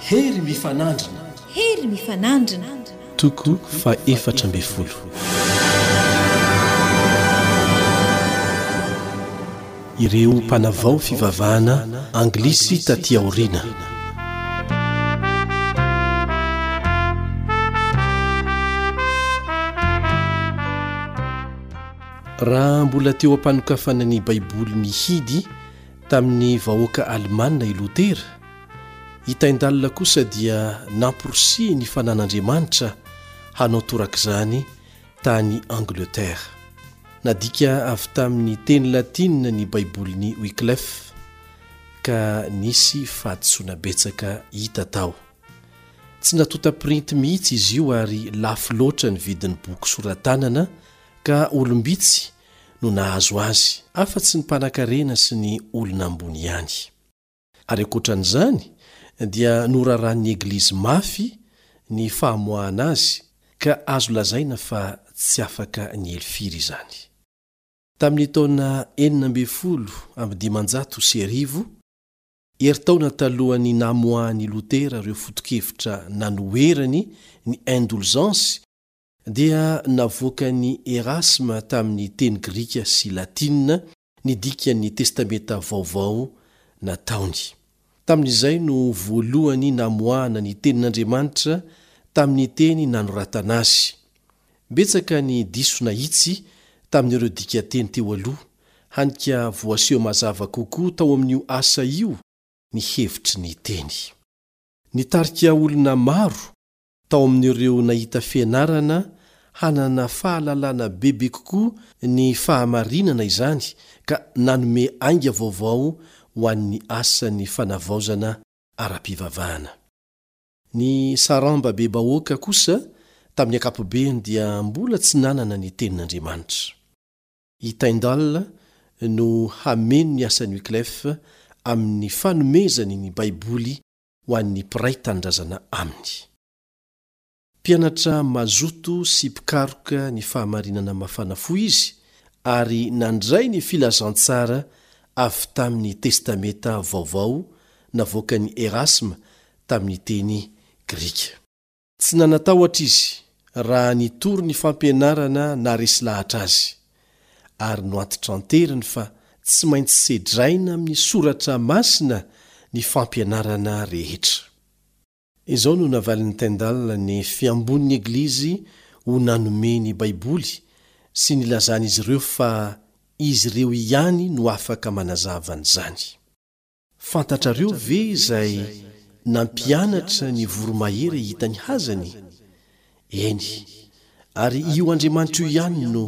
Hery mifanandrina. Hery mifanandrina. Toko fahefatra ambin'ny folo. Ireo mpanavao fivavahana anglisy taty aoriana. Raha mbola teo am-panokafana ny Baiboly mihidy tamin'ny vahoaka alemana i Lotera, i Tyndale kosa dia namporisihin'ny fanan'Andriamanitra hanao torak'izany tany Angleterre. Nadika avy tamin'ny teny latina ny Baibolin'i Wyclef, ka nisy fahadisoana betsaka hita tao. Tsy natonta printy mihitsy izy io ary lafo loatra ny vidin'ny boky sora-tanana ka olom-bitsy no nahazo azy, afa-tsy ny mpanankarena sy ny olona ambony ihany. Ary ankoatra an'izany dia noraran'ny Eglizy mafy ny famoahana azy ka azo lazaina fa tsy afaka niely firy izany. Tamin'ny taona 1516, herintaona talohan'ny namoahan'i Lotera ireo foto-kevitra nanoherany ny indolzansy dia navoakan'i Erasme tamin'ny teny grika sy latina ny dikan'ny Testamenta Vaovao nataony. Tamin'izay no voalohany namoahana ny Tenin'Andriamanitra tamin'ny teny nanoratana azy. Betsaka ny diso nahitsy tamin'ireo dikanteny teo aloha, hany ka voaseho mazava kokoa tao amin'io asa io ny hevitry ny teny. Nitarika olona maro tao amin'ireo nahita fianarana hanana fahalalana bebe kokoa ny fahamarinana izany ka nanome ainga vaovao ho an'ny asan'ny fanavaozana ara-pivavahana. Ny saramba-be-bahoaka kosa tamin'ny ankapobeny dia mbola tsy nanana ny Tenin'Andriamanitra. I Tyndale no hameno ny asan'i Wyclef amin'ny fanomezany ny Baiboly ho an'ny mpiray tanindrazana aminy. Mpianatra mazoto sy mpikaroka ny fahamarinana mafana fo izy ary nandray ny filazantsara avy tamin'ny Testamenta Vaovao navoakan'i Erasme tamin'ny teny grika. Tsy nanan-tahotra izy raha nitory ny fampianarana naharesy lahatra azy, ary noantitranteriny fa tsy maintsy sedraina amin'ny soratra masina ny fampianarana rehetra. Izao no navalin'i Tyndale ny fiambon'ny Eglizy ho nanome ny Baiboly sy nilazan'izy ireo fa izy ireo ihany no afaka manazava an'izany. Fantatrareo ve izay nampianatra ny voromahery hahita ny hazany? Eny, ary io Andriamanitra io ihany no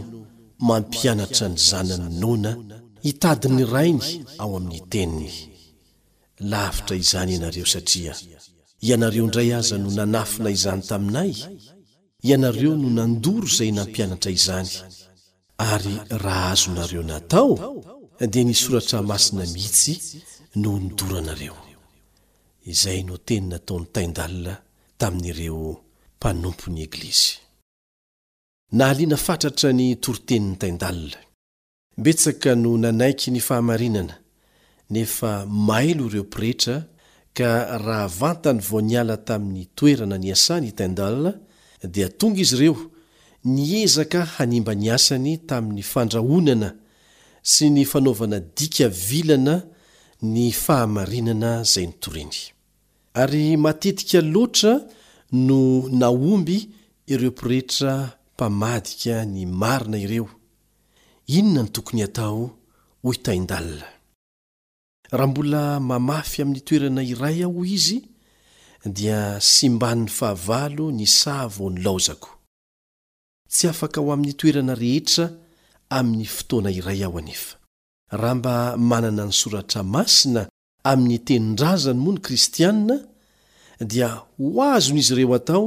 mampianatra ny zanany noana hitady ny Rainy ao amin'ny Teniny. Lavitra izany ianareo satria ianareo indray aza no nanafina izany taminay, ianareo no nandoro izay nampianatra izany, Ary raha azonareo natao dia ny soratra masina mihitsy no nodoranareo. Izay no teny nataon'i Tyndale tamin'ireo mpanompon'ny Eglizy. Nahaliana fatratra ny toritenin'i Tyndale. Betsaka no nanaiky ny fahamarinana, nefa mailo ireo pretra ka raha vantany vao niala tamin'ny toerana niasany i Tyndale dia tonga izy ireo niezaka hanimba ny asany tamin'ny fandrahonana sy ny fanaovana dika vilana ny fahamarinana izay notoriny. Ary matetika loatra no nahomby ireo pretra mpamadika ny marina ireo. Inona no tokony hatao hoy Tyndale? Raha mbola mamafy amin'ny toerana iray aho hoy izy dia simban'ny fahavalo ny saha vao nilaozako. Tsy afaka ho amin'ny toerana rehetra amin'ny fotoana iray aho anefa. Raha mba manana ny soratra masina amin'ny tenin-drazany moa ny kristiana dia ho azon'izy ireo atao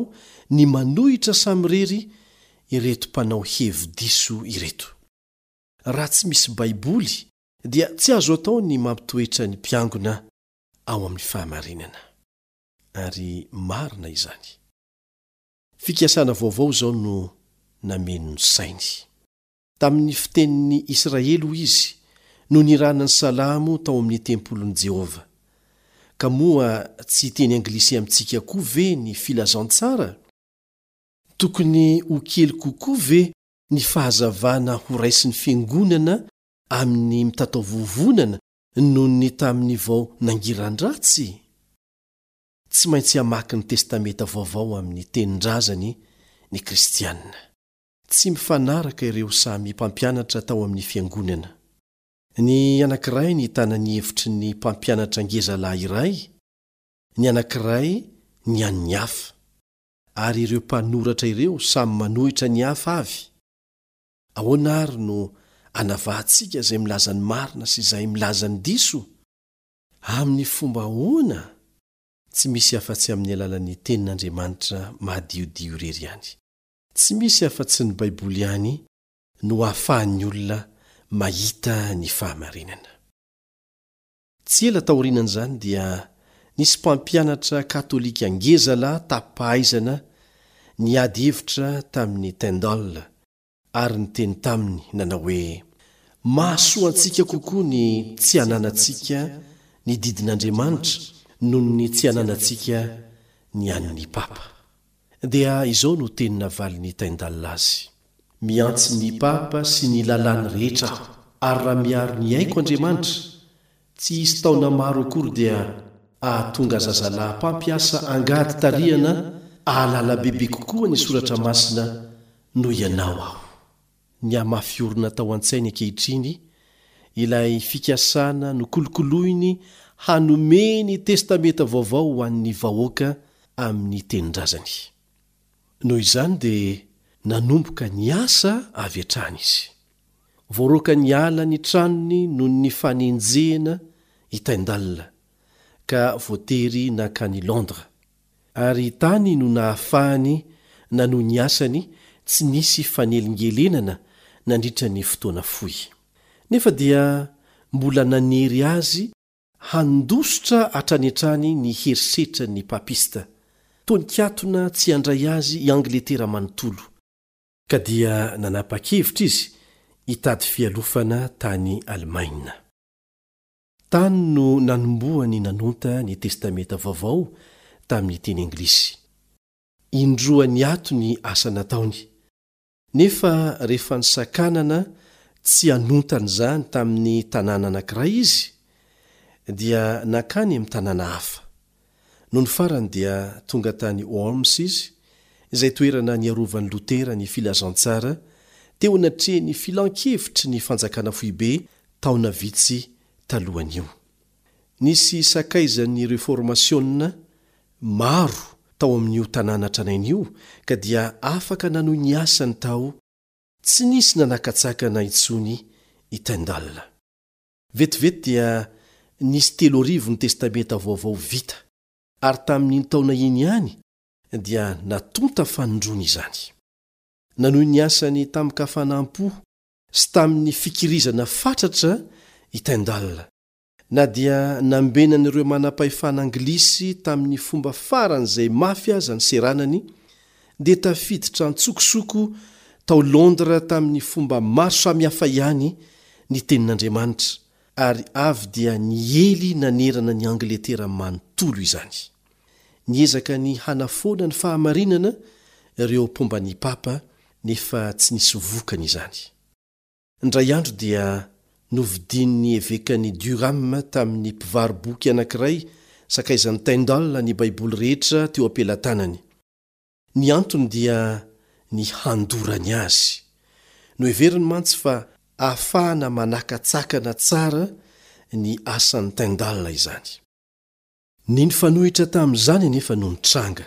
ny manohitra samirery ireto mpanao hevi-diso ireto. Raha tsy misy Baiboly dia tsy azo atao ny mampitoetra ny mpiangona ao amin'ny fahamarinana. Ary marina izany. Fikasana vaovao izao no nameno ny sainy. Tamin'ny fitenin'ny Israely, hoy izy, no nirana ny salamo tao amin'ny tempolin'i Jehovah. Ka moa tsy hiteny anglisy amintsika koa ve ny filazantsara? Tokony ho kely kokoa ve ny fahazavana horaisin'ny fiangonana amin'ny mitataovovonana noho ny tamin'ny vao nangiran-dratsy? Tsy maintsy hamaky ny Testamenta Vaovao amin'ny tenin-drazany ny Kristianina. Tsy mifanaraka ireo samy mpampianatra tao amin'ny fiangonana. Ny anankiray nitana ny hevitry ny mpampianatra ngezalahy iray, ny anankiray ny an'ny hafa. Ary ireo mpanoratra ireo samy manohitra ny hafa avy. Ahoana àry no anavahantsika izay milaza ny marina sy izay milaza ny diso? Amin'ny fomba ahoana? Tsy misy afa-tsy amin'ny alalan'ny Tenin'Andriamanitra madiodio irery ihany. Tsy misy afa-tsy ny Baiboly ihany no ahafahan'ny olona mahita ny fahamarinana. Tsy ela taorianan'izany dia nisy mpampianatra katolika ngezalahy tapi-pahaizana niady hevitra tamin'i Tyndall ary niteny taminy nanao hoe, Mahasoa antsika kokoa ny tsy hananantsika ny didin'Andriamanitra noho ny tsy hananantsika ny an'ny Papa. Dia izao no teny navalin'i Tyndall azy, Mihantsy ny Papa sy ny lalàny rehetra aho, ary raha miaro ny aiko Andriamanitra, tsy hisy taona maro akory dia hahatonga zazalahy mpampiasa angady tarihana hahalala bebe kokoa ny Soratra Masina noho ianao aho. Nihamafy orina tao an-tsainy ankehitriny ilay fikasana nokolokoloiny hanome ny Testamenta Vaovao ho an'ny vahoaka amin'ny tenin-drazany. Noho izany dia nanomboka niasa avy hatrany izy. Voaroaka niala ny tranony noho ny fanenjehana i Tyndale, ka voatery nankany Londres. Ary tany no nahafahany nanohy ny asany tsy nisy fanelingelenana nandritra ny fotoana fohy. Nefa dia mbola nanery azy handositra hatrany hatrany ny herisetran'ny papista, toa nikatona tsy handray azy i Angletera manontolo, ka dia nanapa-kevitra izy hitady fialofana tany Alemaina. Tany no nanombohany nanonta ny Testamenta Vaovao tamin'ny teny anglisy. Indroa niato ny asa nataony. Nefa rehefa nisakanana tsy hanonta an'izany tamin'ny tanàna anankiray izy, dia nankany amin'ny tanàna hafa. Nony farany dia tonga tany Worms izy, izay toerana niarovan'i Lotera ny filazantsara teo anatrehan'ny filan-kevitry ny fanjakana foibe taona vitsy talohan'io. Nisy sakaizan'ny Reformasiona maro tao amin'io tanàna tranainy io ka dia afaka nanohy ny asany tao tsy nisy nanakatsakana intsony i Tyndale. Vetivety dia nisy 3000 ny Testamenta Vaovao vita, ary tamin'iny taona iny ihany dia natonta fanindroany izany. Nanohy ny asany tamin-kafanam-po sy tamin'ny fikirizana fatratra i Tyndale. Na dia nambenan'ireo manam-pahefana anglisy tamin'ny fomba faran'izay mafy aza ny seranany, dia tafiditra an-tsokosoko tao Londres tamin'ny fomba maro samihafa ihany ny Tenin'Andriamanitra, ary avy dia niely nanerana an'i Angletera manontolo izany. Niezaka ny hanafoana ny fahamarinana ireo mpomba ny papa, nefa tsy nisy vokany izany. Indray andro dia novidian'ny evekan'i Durham tamin'ny mpivaro-boky anankiray sakaizan'i Tyndall ny Baiboly rehetra teo am-pelatanany. Ny antony dia ny handorany azy. Noheveriny mantsy fa ahafahana manakatsakana tsara ny asan'i Tyndall izany. Ny nifanohitra tamin'izany anefa no nitranga,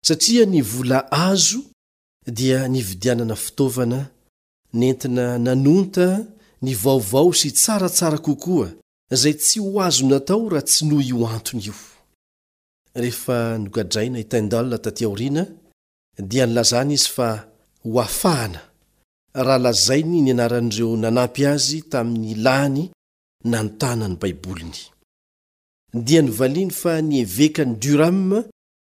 satria ny vola azo dia nividianana fitaovana nentina nanonta ny vaovao sy tsaratsara kokoa izay tsy ho azo natao raha tsy noho io antony io. Rehefa nogadraina i Tyndall taty aoriana dia nilazana izy fa ho afahana raha lazainy ny anaran'ireo nanampy azy tamin'ny lany nanontana ny Baiboliny. Dia novaliany fa ny evekan'i Durham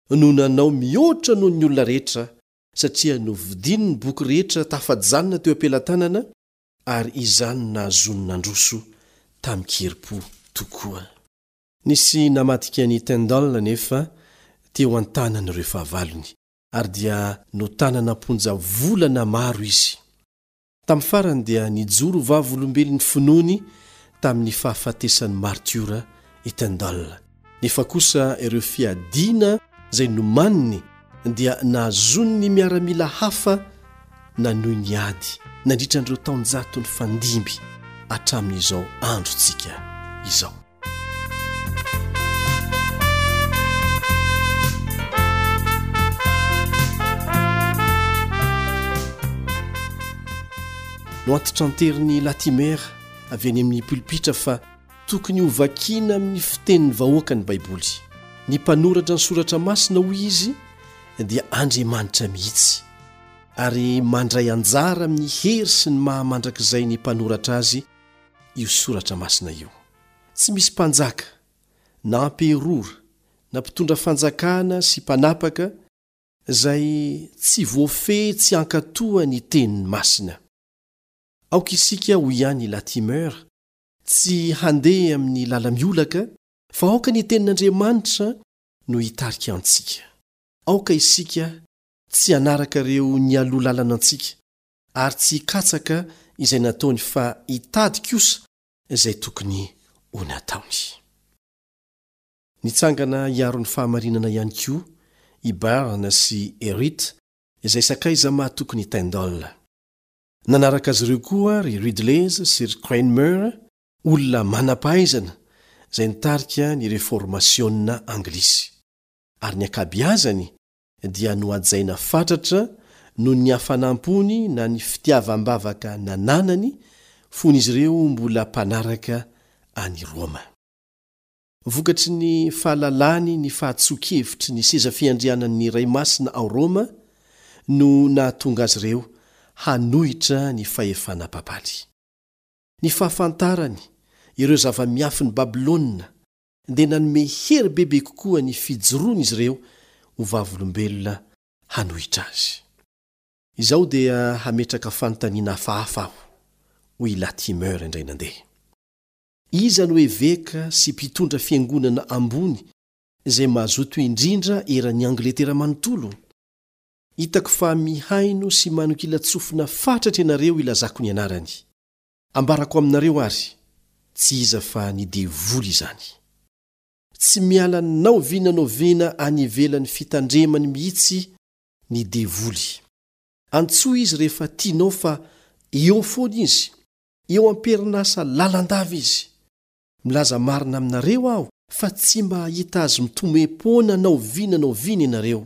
no nanao mihoatra noho ny olona rehetra satria novidiany ny boky rehetra tafajanona teo am-pelatanana ary izany no nahazoany nandroso tamin-kerim-po tokoa. Nisy namadika an'i Tyndale anefa teo an-tanan'ireo fahavalony, ary dia notanana am-ponja volana maro izy. Tamin'ny farany dia nijoro vavolombelon'ny finoany tamin'ny fahafatesan'ny martiora i Tyndale. Nefa kosa ireo fiadiana izay nomaniny dia nahazoan'ny miaramila hafa nanohy ny ady nandritra an'ireo taonjato nifandimby hatramin'izao androntsika izao. Noantitranterin'i Latimer avy any amin'ny polipitra fa tokony hovakiana amin'ny fitenin'ny vahoaka ny Baiboly. Ny mpanoratra ny Soratra Masina, hoy izy, dia Andriamanitra mihitsy, ary mandray anjara amin'ny hery sy ny maha mandrakizay ny mpanoratra azy io Soratra Masina io. Tsy misy mpanjaka, na amperora, na mpitondra fanjakana sy mpanapaka izay tsy voafehy tsy hankatoa ny teniny masina. Aoka isika, hoy ihany i Latimer, tsy handeha amin'ny lala-miolaka, fa aoka ny tenin'Andriamanitra no hitarika antsika. Aoka isika tsy hanaraka ireo nialoha lalana antsika, ary tsy hikatsaka izay nataony fa hitady kosa izay tokony ho nataony. Nitsangana hiaro ny fahamarinana ihany koa i Barnes sy Herritt izay sakaiza mahatokin'i Tyndall. Nanaraka azy ireo koa ry Ridleys sy ry Cranmer, olona manam-pahaizana izay nitarika ny Reformasiona anglisy, ary ny ankabeazany dia nohajaina fatratra noho ny hafanam-pony na ny fitiavam-bavaka nananany fony izy ireo mbola mpanaraka an'i Roma. Vokatry ny fahalalany ny fahatsoa-kevitry ny seza fiandrianan'ny Ray Masina ao Roma no nahatonga azy ireo hanohitra ny fahefana papaly. Ny fahafantarany ireo zava-miafin'i Babylona dia nanome hery bebe kokoa ny fijoroan'izy ireo ho vavolombelona hanohitra azy. Izao dia hametraka fanontaniana hafahafa aho, hoy i Latimer indray nandeha. Iza no eveka sy mpitondra fiangonana ambony izay mazoto indrindra eran'i Angletera manontolo? Hitako fa mihaino sy manonkilan-tsofina fatratra ianareo ilazako ny anarany. Ambarako aminareo àry, tsy iza fa ny devoly izany. Tsy miala na oviana na oviana any ivelan'ny fitandremany mihitsy ny devoly. Antsoy izy rehefa tianao fa eo foana izy, eo am-perinasa lalandava izy. Milaza marina aminareo aho fa tsy mba hahita azy mitomem-poana na oviana na oviana ianareo.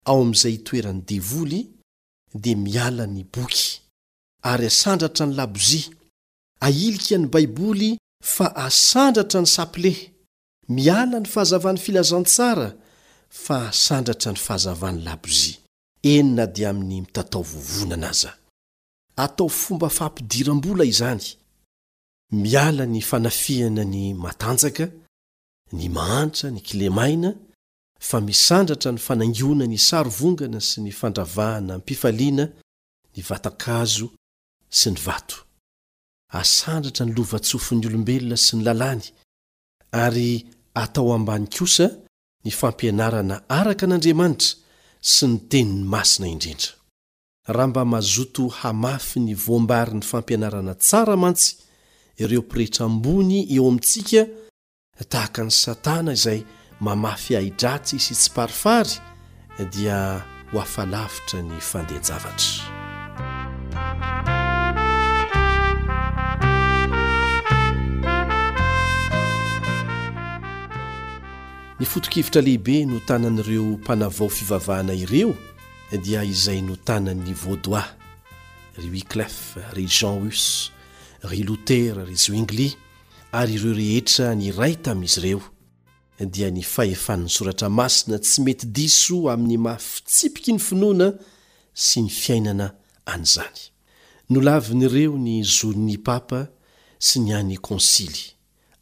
Ao amin'izay itoeran'ny devoly dia miala ny boky. ary asandratra ny labozia, ahilika ny Baiboly fa asandratra ny sapile, miala ny fahazavan'ny filazantsara fa asandratra ny fahazavan'ny labozia, eny na dia amin'ny mitatao vovonana aza. Atao fomba fampidiram-bola izany, miala ny fanafihana ny matanjaka, ny mahantra, ny kilemaina, fa misandratra ny fanaingoana ny sarivongana sy ny fandravahana am-pifaliana ny vatan-kazo sy ny vato. Asandratra ny lova-tsofin'ny olombelona sy ny lalàny, ary atao ambany kosa ny fampianarana araka an'Andriamanitra sy ny Teniny masina indrindra. Raha mba mazoto hamafy ny voam-barin'ny fampianarana tsara mantsy ireo pretra ambony eo amintsika Tahaka an'i Satana izay mamafy ahi-dratsy sy tsiparifary dia ho afa-lavitra ny fandehan-javatra. Ny foto-kevitra lehibe notanan'ireo mpanavao fivavahana ireo dia izay notanan'ny Vaudois, ry Wyclef, ry Jean Hus, ry Lotera, ry Zwingli, ary ireo rehetra niray tamin'izy ireo, dia ny fahefan'ny Soratra Masina tsy mety diso amin'ny maha fitsipiky ny finoana sy ny fiainana an'izany. Nolavin'ireo ny zon'ny papa sy ny an'ny konsily,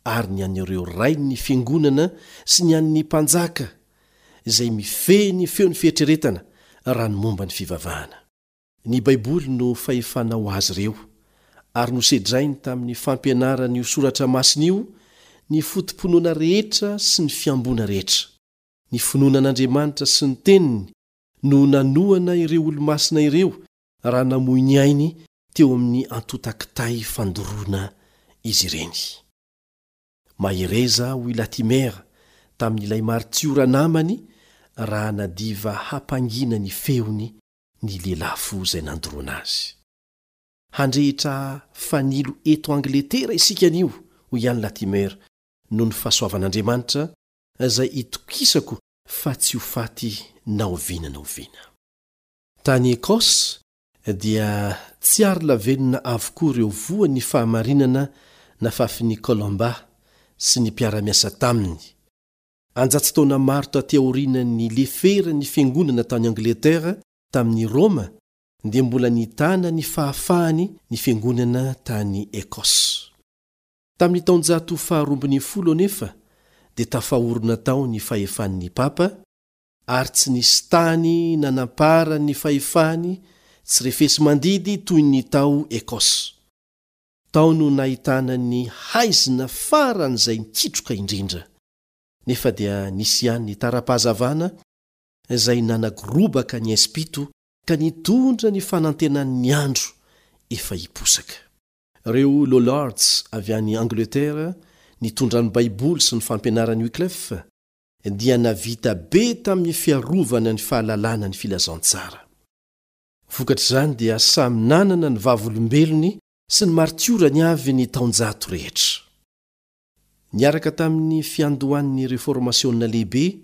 ary ny an'ireo rain'ny fiangonana sy ny an'ny mpanjaka, izay mifehy ny feon'ny fieritreretana raha ny momba ny fivavahana. Ny Baiboly no fahefana ho azy ireo, ary nosedrainy tamin'ny fampianarana io soratra masina io ny foto-pinoana rehetra sy ny fihamboana rehetra. Ny finoana an'Andriamanitra sy ny Teniny no nanohana ireo olomasina ireo raha namoy ny ainy teo amin'ny antontan-kitay fandoroana izy ireny. Mahereza, hoy Latimer tamin'ilay maritiora namany raha nadiva hampangina ny feony ny lelafo izay nandoroana azy. Handrehitra fanilo eto Angletera isika anio, hoy ihany Latimer, noho ny fahasoavan'Andriamanitra izay itokisako fa tsy ho faty na oviana na oviana. Tany Écosse dia tsy ary lavenona avokoa ireo voan'ny fahamarinana nafafin'i Columba sy ny mpiara-miasa taminy. Anjato taona maro taty aorianan'ny nileferan'ny fiangonana tany Angletera tamin'i Roma dia mbola nitana ny fahafahany ny fiangonana tany Écosse. Tamin'ny taonjato faharoambinifolo anefa dia tafaorina tao ny fahefan'ny papa ary tsy nisy tany nanamparan'ny fahefany tsy refesi-mandidy toy ny tao Écosse. Tao no nahitana ny haizina faran'izay nikitroka indrindra. Nefa dia nisy ihany ny tara-pahazavana izay nanagorobaka ny haizim-pito ka nitondra ny fanantenan'ny andro efa hiposaka. Ireo Lollards avy any Angleterre nitondra ny Baiboly sy ny fampianaran'i Wyclef dia navita be tamin'ny fiarovana ny fahalalana ny filazantsara. Vokatr'izany dia samy nanana ny vavolombelony sy ny martiorany avy ny taonjato rehetra. Niaraka tamin'ny fiandohan'ny Reformasiona Lehibe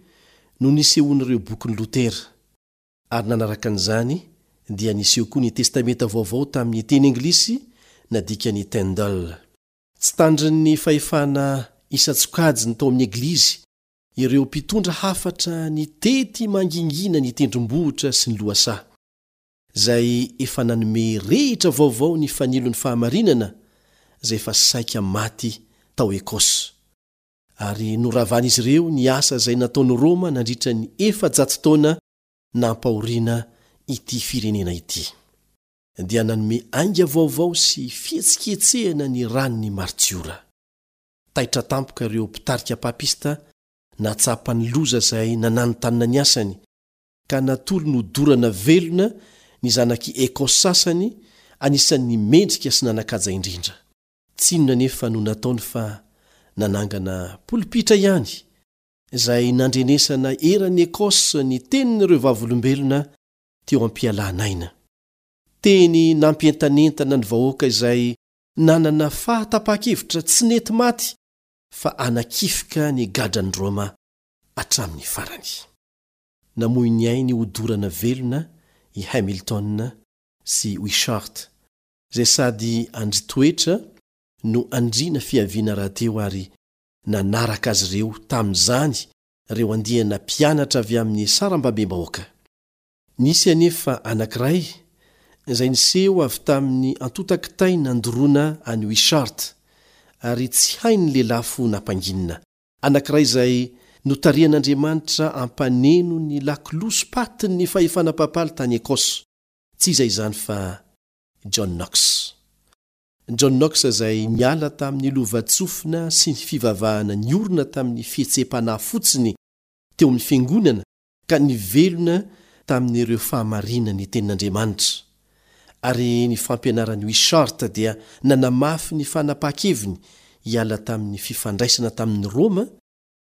no nisehoan'ireo bokin'i Lotera, ary nanaraka an'izany dia niseho koa ny Testamenta Vaovao tamin'ny teny anglisy nadikan'i Tyndale. Tsy tandrin'ny fahefana isan-tsokajiny tao amin'ny Eglizy ireo mpitondra hafatra nitety mangingina ny tendrombohitra sy ny lohasaha, izay efa nanome rehitra vaovao ny fanilon'ny fahamarinana izay efa saika maty tao Écosse. Ary noravan'izy ireo ny asa izay nataon'i Roma nandritra ny 400 taona nampahoriana ity firenena ity. dia nanome ainga vaovao sy fihetsiketsehana ny ran'ny martiora. Taitra tampoka ireo mpitarika papista nahatsapa ny loza izay nananontanona ny asany, ka natolony hodorana velona ny zanak'i Écosse sasany anisan'ny mendrika sy nanan-kaja indrindra. Tsy inona anefa no nataony fa nanangana polipitra ihany, izay nandrenesana eran'i Écosse ny tenin'ireo vavolombelona teo am-pialana aina. Teny nampientanentana ny vahoaka izay nanana fahatapahan-kevitra tsy nety maty fa hanakifoka ny gadran'i Roma hatramin'ny farany. Namoy ny ainy hodorana velona i Hamilton sy Wishart, izay sady andrin-toetra no andriana fiaviana rahateo ary nanaraka azy ireo tamin'izany ireo andiana mpianatra avy amin'ny sarambabem-bahoaka. Nisy anefa anankiray izay niseho avy tamin'ny antontan-kitay nandoroana an'i Wishart, ary tsy hain'ny lelafo nampanginina. Anankiray izay notarihan'Andriamanitra hampaneno ny lakolosy patin'ny fahefana papaly tany Écosse. Tsy iza izany fa John Knox. John Knox izay niala tamin'ny lovantsofina sy ny fivavahana niorina tamin'ny fihetseham-panahy fotsiny teo amin'ny fiangonana ka nivelona tamin'ireo fahamarinan'ny Tenin'Andriamanitra, ary ny fampianaran'i Wishart dia nanamafy ny fanapahan-keviny hiala tamin'ny fifandraisana tamin'i Roma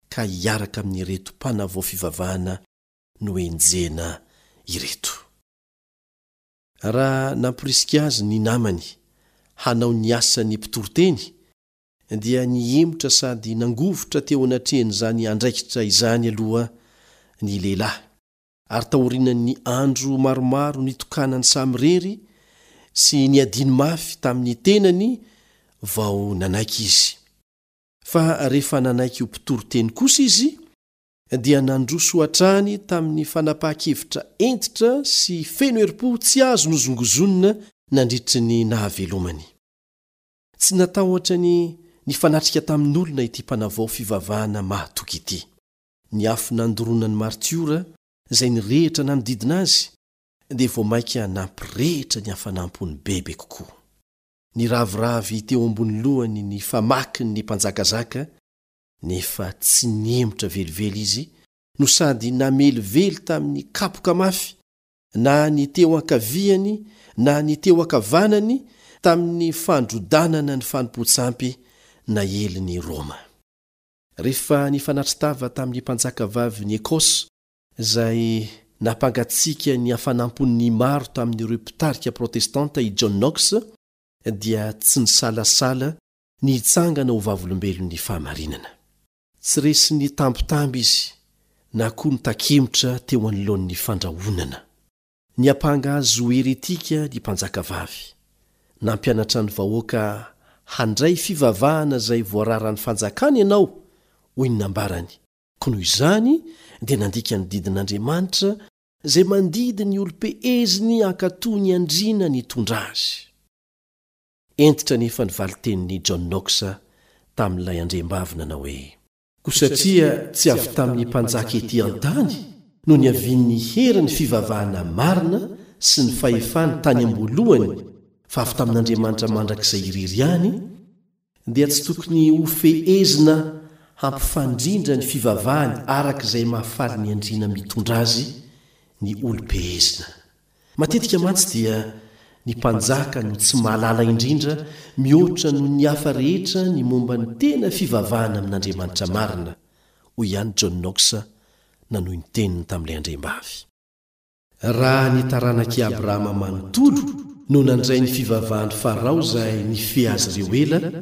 ka hiaraka amin'ireto mpanavao fivavahana nohenjehina ireto. Raha namporisika azy ny namany hanao ny asan'ny mpitoriteny, dia nihemotra sady nangovitra teo anatrehan'izany andraikitra izany aloha ny lehilahy, ary taorianan'ny andro maromaro nitokanany samirery sy niadiany mafy tamin'ny tenany vao nanaiky izy. Fa rehefa nanaiky ho mpitory teny kosa izy, dia nandroso hatrany tamin'ny fanapahan-kevitra hentitra sy feno herim-po tsy azo nozongozonina nandritry ny nahavelomany. Tsy natahotra ny nifanatrika tamin'olona ity mpanavao fivavahana mahatoky ity. Ny afo nandoroana ny martiora izay nirehitra nanodidina azy dia vao mainka nampirehitra ny hafanam-pony bebe kokoa. Niraviravy teo ambony lohany ny famaky ny mpanjakazaka. Nefa tsy nihemotra velively izy no sady namelively tamin'ny kapoka mafy na ny teo ankaviany na ny teo ankavanany tamin'ny fandrodanana ny fanompoan-tsampy naelin'i Roma. Rehefa nifanatri-tava tamin'ny mpanjakavavin'i Écosse izay nampangatsiaka ny hafanam-pon'ny maro tamin'ireo mpitarika protestanta i John Knox, dia tsy nisalasala ny hitsangana ho vavolombelon'ny fahamarinana. Tsy resin'ny tambitamby izy na koa nitakemotra teo anoloan'ny fandrahonana. Niampanga azy ho heretika ny mpanjakavavy. Nampianatra ny vahoaka handray fivavahana izay voararan'ny fanjakana ianao, hoy ny nambarany, koa noho izany dia nandika ny didin'Andriamanitra izay mandidy ny olom-peheziny hankatò ny andriana nitondra azy. Hentitra anefa ny valin-tenin'i John Knox tamin'ilay andriambavy nanao hoe. Koa satria tsy avy tamin'ny mpanjaka ety an-tany no niavian'ny herin'ny fivavahana marina sy ny fahefany tany am-boalohany fa avy tamin'Andriamanitra mandrakizay irery ihany, dia tsy tokony hofehezina hampifandrindra ny fivavahany araka izay mahafaly ny andriana mitondra azy ny olom-pehezina. Matetika mantsy dia ny mpanjaka no tsy mahalala indrindra mihoatra noho ny hafa rehetra ny momba ny tena fivavahana amin'Andriamanitra marina, hoy ihany John Knox nanohy ny teniny tamin'ilay andriambavy. Raha ny taranak'i Abrahama manontolo no nandray ny fivavahan'i Farao izay nifehy azy ireo ela,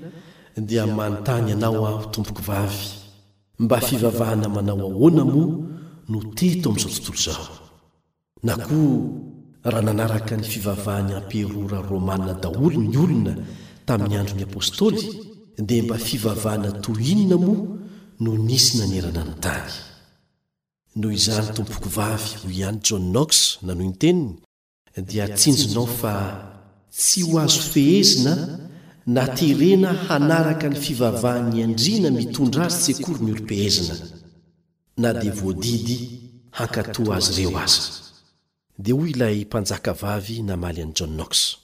dia manontany anao aho, tompokovavy, mba fivavahana manao ahoana moa no teto amin'izao tontolo izao? Na koa raha nanaraka ny fivavahan'ny amperora romana daholo ny olona tamin'ny andron'ny apostoly, dia mba fivavahana toy inona moa no nisy nanerana ny tany? Noho izany, tompokovavy, hoy ihany John Knox nanohy ny teniny, dia tsinjonao fa tsy ho azo fehezina na terena hanaraka ny fivavahan'ny andriana mitondra azy tsy akory ny olom-pehezina. na dia voadidy hankatò azy ireo aza. Dia hoy ilay mpanjakavavy namaly an'i John Knox,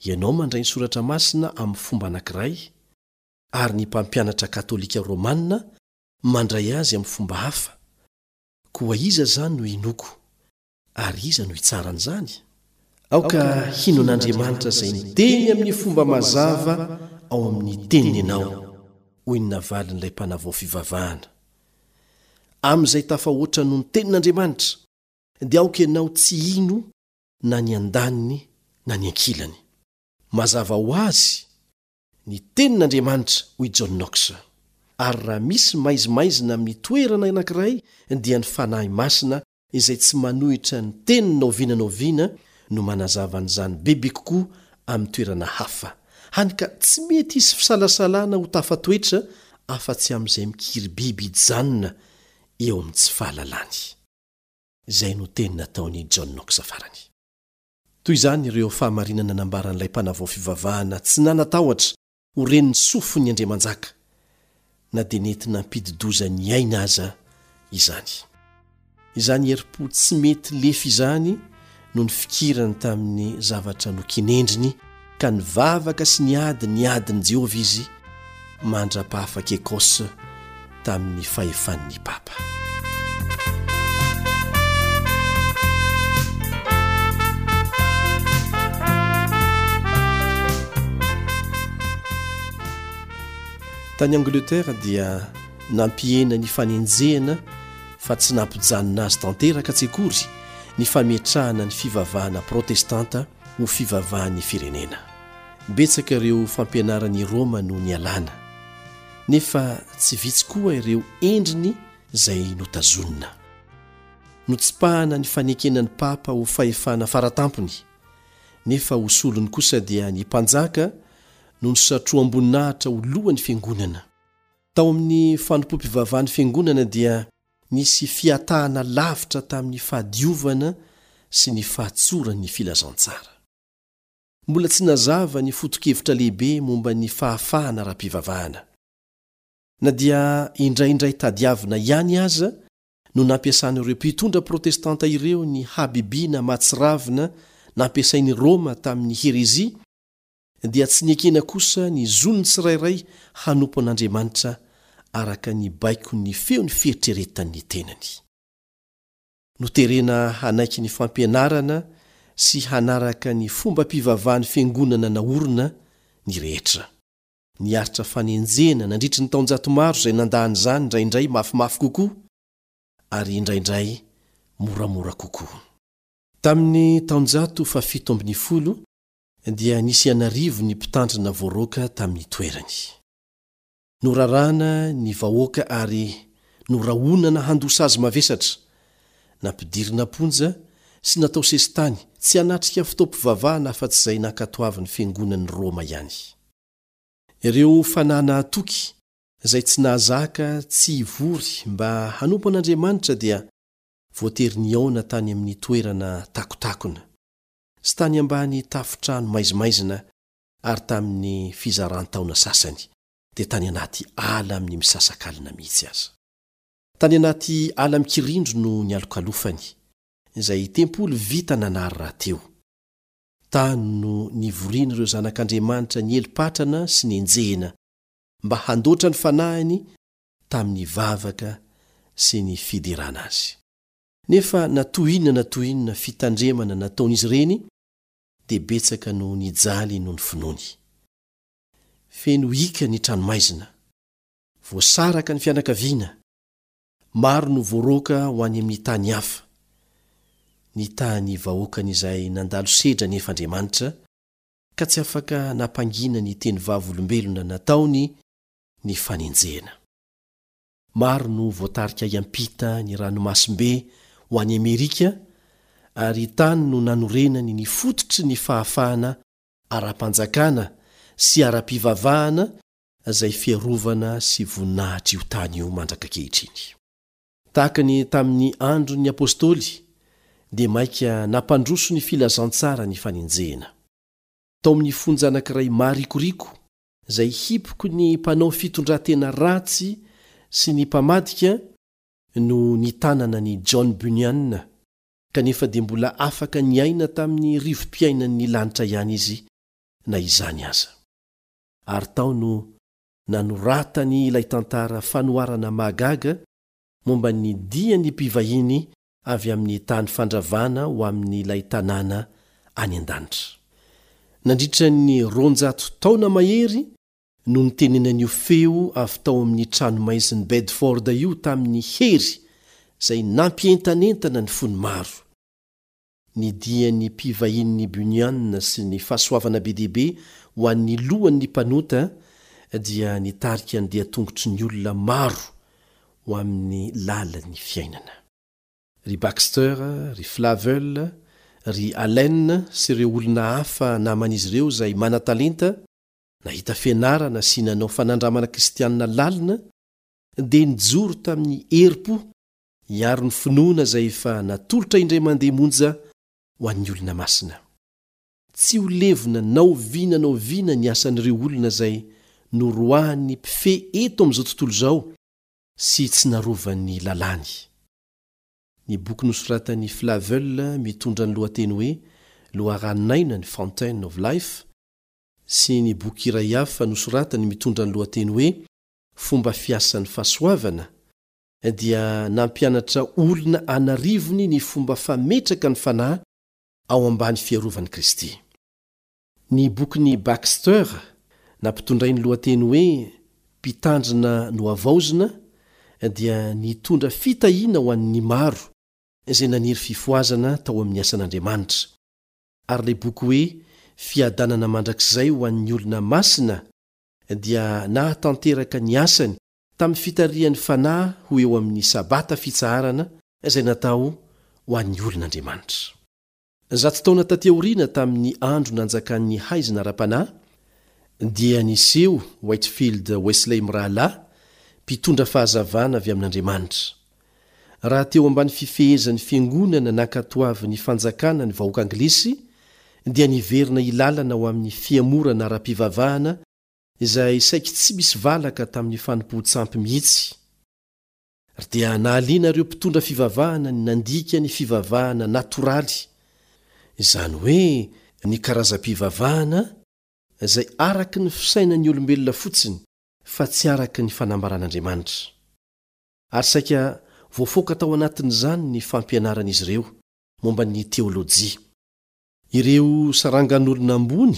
Ianao mandray ny Soratra Masina amin'ny fomba anankiray, ary ny mpampianatra katolika romana mandray azy amin'ny fomba hafa, koa iza izany no hinoako, ary iza no hitsara an'izany? Aoka hino an'Andriamanitra izay miteny amin'ny fomba mazava ao amin'ny Teniny ianao, hoy ny navalin'ilay mpanavao fivavahana. Amin'izay tafahoatra noho ny Tenin'Andriamanitra, dia aoka ianao tsy hino na ny andaniny na ny ankilany. Mazava ho azy ny Tenin'Andriamanitra, hoy John Knox. Ary raha misy maizimaizina amin'ny toerana anankiray dia ny Fanahy Masina izay tsy manohitra ny teniny na oviana na oviana no manazava an'izany bebe kokoa amin'ny toerana hafa, hany ka tsy mety hisy fisalasalana ho tafatoetra afa-tsy amin'izay mikiribiby hijanona eo amin'ny tsy fahalalany. Izay no teny nataon'i John Knox farany. Toy izany ireo fahamarinana nambaran'ilay mpanavao fivavahana tsy nanan-tahotra ho ren'ny sofin'ny andriamanjaka, na dia nety nampidi-doza ny aina aza izany. Izany herim-po tsy mety lefy izany no nifikirany tamin'ny zavatra nokinendriny, ka nivavaka sy niady ny adin'i Jehovah izy mandra-pahafak'i Écosse tamin'ny fahefan'ny papa. Tany Angleterre dia nampihena ny fanenjehana fa tsy nampijanona azy tanteraka tsy akory ny fametrahana ny fivavahana protestanta ho fivavahan'ny firenena. Betsaka ireo fampianaran'i Roma no nialana, nefa tsy vitsy koa ireo endriny izay notazonina. Notsipahana ny fanekena ny papa ho fahefana faratampony, nefa ho solony kosa dia ny mpanjaka no nosatroham-boninahitra ho lohan'ny fiangonana. Tao amin'ny fanompoam-pivavahan'ny fiangonana dia nisy fihatahana lavitra tamin'ny fahadiovana sy ny fahatsoran'ny filazantsara. Mbola tsy nazava ny foto-kevitra lehibe momba ny fahafahana ara-pivavahana. Na dia indraindray tadiavina ihany aza no nampiasan'ireo mpitondra protestanta ireo ny habibiana mahatsiravina nampiasain'i Roma tamin'ny herezia, dia tsy nekena kosa ny zon'ny tsirairay hanompo an'Andriamanitra. araka ny baikon'ny feon'ny fieritreretan'ny tenany. Noterena hanaiky ny fampianarana sy hanaraka ny fombam-pivavahan'ny fiangonana naorina ny rehetra. Niaritra fanenjehana nandritry ny taonjato maro izay nandà an'izany indraindray mafimafy kokoa ary indraindray moramora kokoa. Tamin'ny taonjato fahafito ambinifolo dia nisy an'arivony ny mpitandrina voaroaka tamin'ny toerany. Norarana ny vahoaka ary norahonana handoa sazy mavesatra, nampidirina am-ponja sy natao sesitany tsy hanatrika fotoam-pivavahana afa-tsy izay nankatoavin'ny fiangonan'i Roma ihany. Ireo fanahy nahatoky izay tsy nahazaka tsy hivory mba hanompo an'Andriamanitra dia voatery nihaona tany amin'ny toerana takotakona sy tany ambany tafon-trano maizimaizina ary tamin'ny fizaran-taona sasany dia tany anaty ala amin'ny misasakalina mihitsy aza. Tany anaty ala mikirindro no nialokalofany, izay tempoly vita nanary rahateo. Tany no nivorian'ireo zanak'Andriamanitra niely patrana sy nenjehina, mba handoatra ny fanahiny tamin'ny vavaka sy ny fiderana azy. Nefa na toy inona na toy inona fitandremana nataon'izy ireny, dia betsaka no nijaly noho ny finoany. Feno hika ny tranomaizina. Voasaraka ny fianakaviana. Maro no voaroaka ho any amin'ny tany hafa. Nitaha ny vahoakany izay nandalo sedra anefa Andriamanitra, ka tsy afaka nampangina ny teny vavolombelona nataony ny fanenjehana. Maro no voatarika hiampita ny ranomasimbe ho any Amerika ary tany no nanorenany ny fototry ny fahafahana ara-panjakana sy ara-pivavahana izay fiarovana sy voninahitr'io tany io mandrak'ankehitriny. Tahaka ny tamin'ny andron'ny Apostoly dia mainka nampandroso ny filazantsara ny fanenjehena. Tao amin'ny fonja anankiray maharikoriko izay hipoky ny mpanao fitondran-tena ratsy sy ny mpamadika no nitanana an'i John Bunyan, kanefa dia mbola afaka niaina tamin'ny rivo-piainan'ny lanitra ihany izy na izany aza. Ary tao no nanoratany ilay tantara fanoharana mahagaga momba ny dian'ny mpivahiny avy amin'ny tany fandravana ho amin'ilay tanàna any an-danitra. Nandritra ny 200 taona mahery no nitenenan'io feo avy tao amin'ny tranomaizin'i Bedford io tamin'ny hery izay nampientanentana ny fon'ny maro. Ny dian'ny mpivahinin'i Bunyan sy ny fahasoavana be dia be ho an'ny lohan'ny mpanota dia nitarika ny dian-tongotry ny olona maro ho amin'ny lalan'ny fiainana. Ry Baxter, ry Flavel, ry Allen sy ireo olona hafa naman'izy ireo izay manan-talenta, nahita fianarana sy nanao fanandramana kristianina lalina, dia nijoro tamin'ny herim-po hiaro ny finoana izay efa natolotra indray mandeha monja ho an'ny olona masina. Tsy ho levona na oviana na oviana ny asan'ireo olona izay noroahan'ny mpifehy eto amin'izao tontolo izao sy tsy narovan'ny lalàny. Ny boky nosoratan'i Flavel mitondra ny lohateny hoe Loharanon'aina ny Fountain of Life sy ny boky iray hafa nosoratany mitondra ny lohateny hoe Fomba fiasan'ny fahasoavana dia nampianatra olona an'arivony ny fomba fametraka ny fanahy ao ambany fiarovan'i Kristy. Ny bokin'i Baxter, nampitondrainy lohateny hoe Mpitandrina Nohavaozina, dia nitondra fitahiana ho an'ny maro izay naniry fifohazana tao amin'ny asan'Andriamanitra, ary ilay boky hoe Fiadanana Mandrakizay ho an'ny Olona Masina dia nahatanteraka ny asany tamin'ny fitarihan'ny Fanahy ho eo amin'ny Sabata fitsaharana izay natao ho an'ny olon'Andriamanitra. Zato taona taty aoriana tamin'ny andro nanjakan'ny haizina ara-panahy, dia niseho Whitefield Wesley mirahalahy, mpitondra fahazavana avy amin'Andriamanitra. Raha teo ambany fifehezan'ny fiangonana nankatoavin'ny fanjakana ny vahoaka anglisy, dia niverina hilalana ho amin'ny fihemorana ara-pivavahana izay saiky tsy misy valaka tamin'ny fanompoan-tsampy mihitsy, ary dia nahaliana ireo mpitondra fivavahana ny nandika ny fivavahana natoraly, izany hoe ny karazam-pivavahana izay araka ny fisainan'ny olombelona fotsiny. fa tsy araka ny fanambaran'Andriamanitra. Ary saika voafoaka tao anatin'izany ny fampianaran'izy ireo momba ny teolojia. Ireo sarangan'olona ambony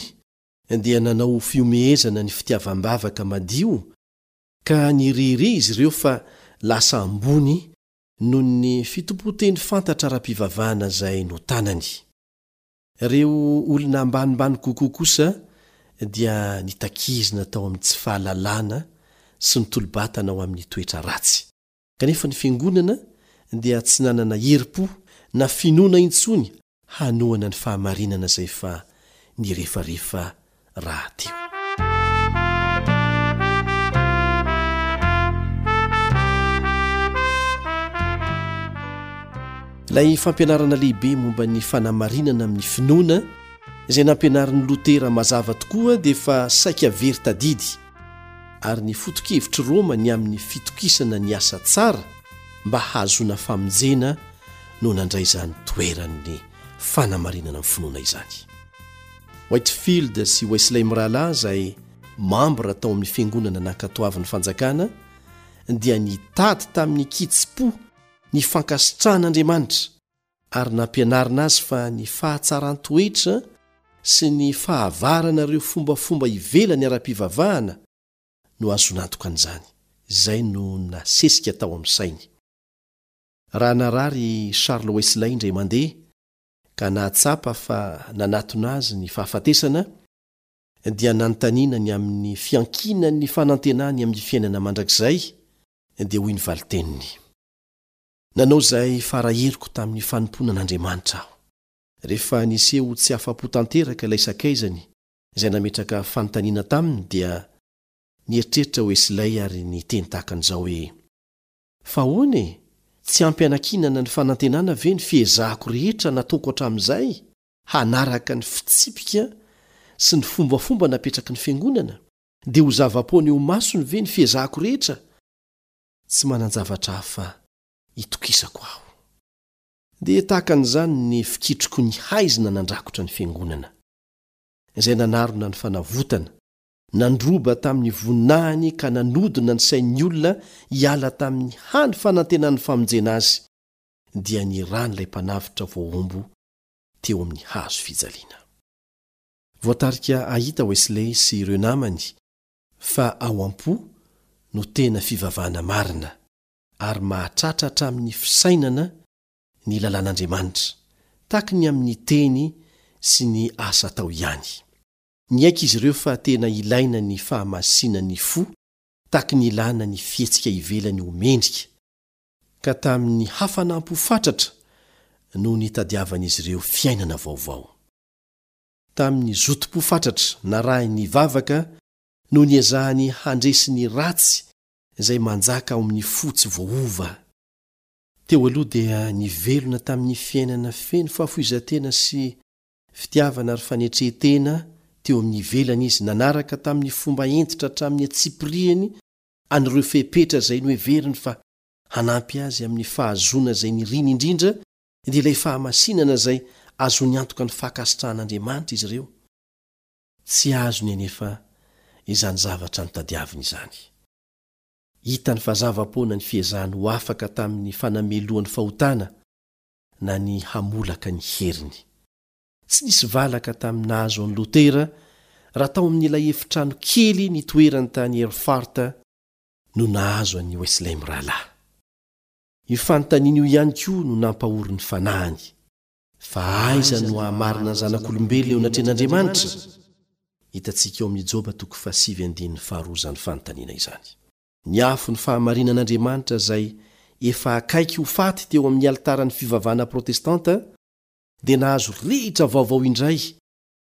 dia nanao ho fihomehezana ny fitiavam-bavaka madio ka nirehareha izy ireo fa lasa ambony noho ny fitompoan-teny fantatra ara-pivavahana izay notanany. Ireo olona ambanimbany kokoa kosa dia nitakizina tao amin'ny tsy fahalalana sy nitolo-batana ho amin'ny toetra ratsy. Kanefa ny Fiangonana dia tsy nanana herim-po na finoana intsony hanohana ny fahamarinana izay efa nirefarefa rahateo. Ilay fampianarana lehibe momba ny fanamarinana amin'ny finoana izay nampianarin'i Lotera mazava tokoa dia efa saika very tadidy, ary ny foto-kevitr'i Roma ny amin'ny fitokisana ny asa tsara mba hahazoana famonjena no nandray izany toeran'ny fanamarinana ny finoana izany. Whitefield sy Wesley mirahalahy izay mambra tao amin'ny fiangonana nankatoavin'ny fanjakana dia nitady tamin'ny kitsim-po ny fankasitrahan'Andriamanitra ary nampianarina azy fa ny fahatsaran-toetra sy ny fahavarana ireo fombafomba ivelany ara-pivavahana no ahazoana antoka an'izany. Izay no nasesika tao amin'ny sainy. Raha narary i Charles Wesley indray mandeha ka nahatsapa fa nanatona azy ny fahafatesana, dia nanontaniana ny amin'ny fiankinan'ny fanantenany amin'ny fiainana mandrakizay, dia hoy ny valin-teniny, Nanao izay fara heriko tamin'ny fanompoana an'Andriamanitra aho. Rehefa niseho ho tsy afa-po tanteraka ilay sakaizany izay nametraka fanontaniana taminy dia nieritreritra Wesley ary niteny tahaka an'izao hoe, Fa ahoana e? Tsy ampy anankinana ny fanantenana ve ny fiezahako rehetra nataoko hatramin'izay hanaraka ny fitsipika sy ny fombafomba napetraky ny Fiangonana? Dia ho zava-poana eo imasony ve ny fiezahako rehetra? Tsy manan-javatra hafa itokisako aho. Dia tahaka an'izany ny fikitroko ny haizina nandrakotra ny Fiangonana, izay nanarona ny fanavotana, nandroba tamin'ny voninahiny ka nanodina ny sain'ny olona hiala tamin'ny hany fanantenan'ny famonjena azy, dia ny ran'ilay Mpanavotra voahombo teo amin'ny hazo fijaliana. Voatarika hahita Wesley sy ireo namany fa ao am-po no tena fivavahana marina, ary mahatratra hatramin'ny fisainana ny lalàn'Andriamanitra, tahaky ny amin'ny teny sy ny asa atao ihany. Niaiky izy ireo fa tena ilaina ny fahamasinan'ny fo tahaky ny ilàna ny fihetsika ivelany ho mendrika, ka tamin'ny hafanam-po fatratra no nitadiavan'izy ireo fiainana vaovao. Tamin'ny zotom-po fatratra narahin'ny vavaka no niezahany handresy ny ratsy izay manjaka ao amin'ny fo tsy voaova. Teo aloha dia nivelona tamin'ny fiainana feno fahafoizan-tena sy fitiavana ary fanetren-tena teo amin'ny ivelany izy, nanaraka tamin'ny fomba hentitra hatramin'ny antsipiriany an'ireo fepetra izay noheveriny fa hanampy azy amin'ny fahazoana izay niriny indrindra, dia ilay fahamasinana izay azony antoka ny fankasitrahan'Andriamanitra izy ireo. Tsy azony anefa izany zavatra notadiaviny izany. Hitany fa zava-poana ny fiezahany ho afaka tamin'ny fanamelohan'ny fahotana na ny hamolaka ny heriny. Tsy nisy valaka tamin'ny nahazo an'i Lotera raha tao amin'ilay efitrano kely nitoerany tany Erfurt no nahazo an'i Wesley mirahalahy. Io fanontaniana io ihany koa no nampahory ny fanahiny. Fa aiza no hahamarina ny zanak'olombelona eo anatrehan'Andriamanitra? Hitantsika ao amin'ny Joba toko fahasivy andininy faharoa izany fanontaniana izany. Ny afon'ny fahamarinan'Andriamanitra izay efa akaiky ho faty teo amin'ny alitaran'ny fivavahana protestanta dia nahazo rehitra vaovao indray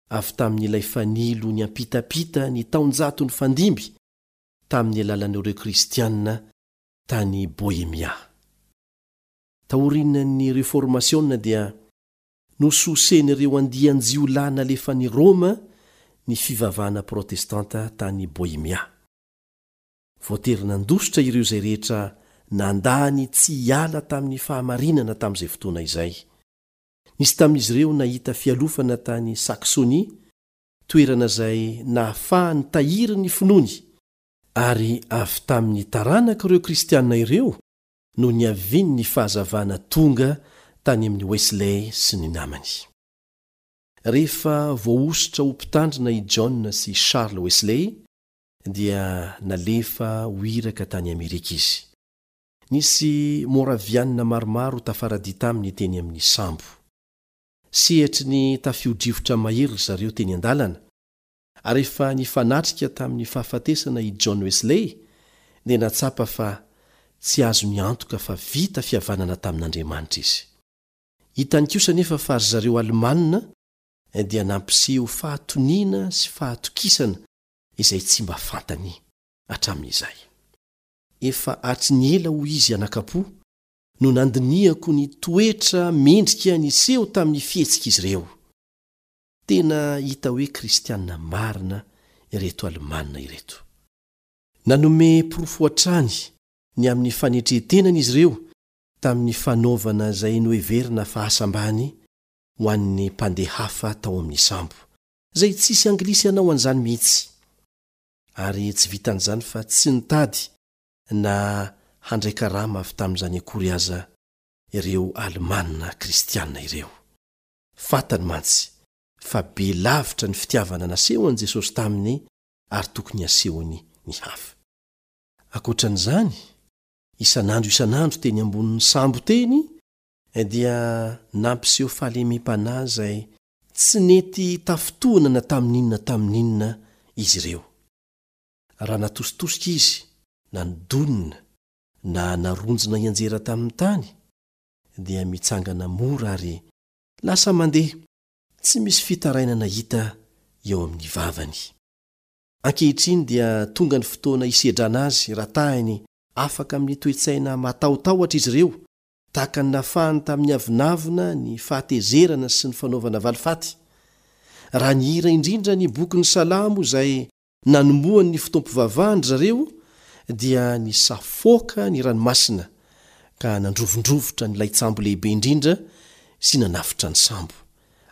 avy tamin'ilay fanilo niampitapita ny taonjato nifandimby tamin'ny alalan'ireo Kristiana tany Bohemia. Taorian'ny Reformasiona dia nososen'ireo andian-jiolahy nalefan'i Roma ny fivavahana protestanta tany Bohemia. Voatery nandositra ireo izay rehetra nandà ny tsy hiala tamin'ny fahamarinana tamin'izay fotoana izay. Nisy tamin'izy ireo nahita fialofana tany Saxonie, toerana izay nahafahany nitahiry ny finoany. Ary avy tamin'ny taranak'ireo Kristiana ireo no niavian'ny fahazavana tonga tany amin'i Wesley sy ny namany. Rehefa voahosotra ho mpitandrina i John sy Charles Wesley, dia nalefa ho iraka tany Amerika izy. Nisy Moravianina maromaro tafaradia taminy teny amin'ny sambo. Sehatry ny tafio-drivotra mahery ry zareo teny an-dalana, ary rehefa nifanatrika tamin'ny fahafatesana i John Wesley, dia nahatsapa fa tsy azony antoka fa vita fihavanana tamin'Andriamanitra izy. Hitany kosa anefa fa ry zareo Alemana dia nampiseho fahatoniana sy fahatokisana izay tsy mba fantany hatramin'izay. Efa hatry ny ela hoy izy anakapo no nandinihako ny toetra mendrika niseho tamin'ny fihetsik'izy ireo. Tena hita hoe kristiana marina ireto Alemana ireto. Nanome porofo hatrany ny amin'ny fanetren-tenany izy ireo tamin'ny fanaovana izay noheverina fa asa ambany ho an'ny mpandeha hafa tao amin'ny sambo, izay tsisy Anglisy hanao an'izany mihitsy. Ary tsy vitan'izany fa tsy nitady na handray karama avy tamin'izany akory aza ireo Alemana kristiana ireo. Fantany mantsy fa be lavitra ny fitiavana nasehon'i Jesosy taminy ary tokony hasehony ny hafa. Ankoatra an'izany, isan'andro isan'andro teny ambonin'ny sambo teny dia nampiseho fahalemem-panahy izay tsy nety tafintohina na tamin'inona tamin'inona izy ireo. Raha natositosika izy, na nodonina, na naronjina hianjera tamin'ny tany, dia mitsangana mora ary lasa mandeha, tsy misy fitarainana hita eo amin'ny vavany. Ankehitriny dia tonga ny fotoana hisedrana azy raha tahiny afaka amin'ny toe-tsaina matahotahotra izy ireo, tahaka ny nafahany tamin'ny avonavona, ny fahatezerana sy ny fanaovana valifaty. Raha nihira indrindra ny bokin'ny Salamo izay Nanombohany ny fotoam-pivavahany ry zareo dia nisafoaka ny ranomasina ka nandrovindrovitra ny laitsambo lehibe indrindra sy nanafotra ny sambo,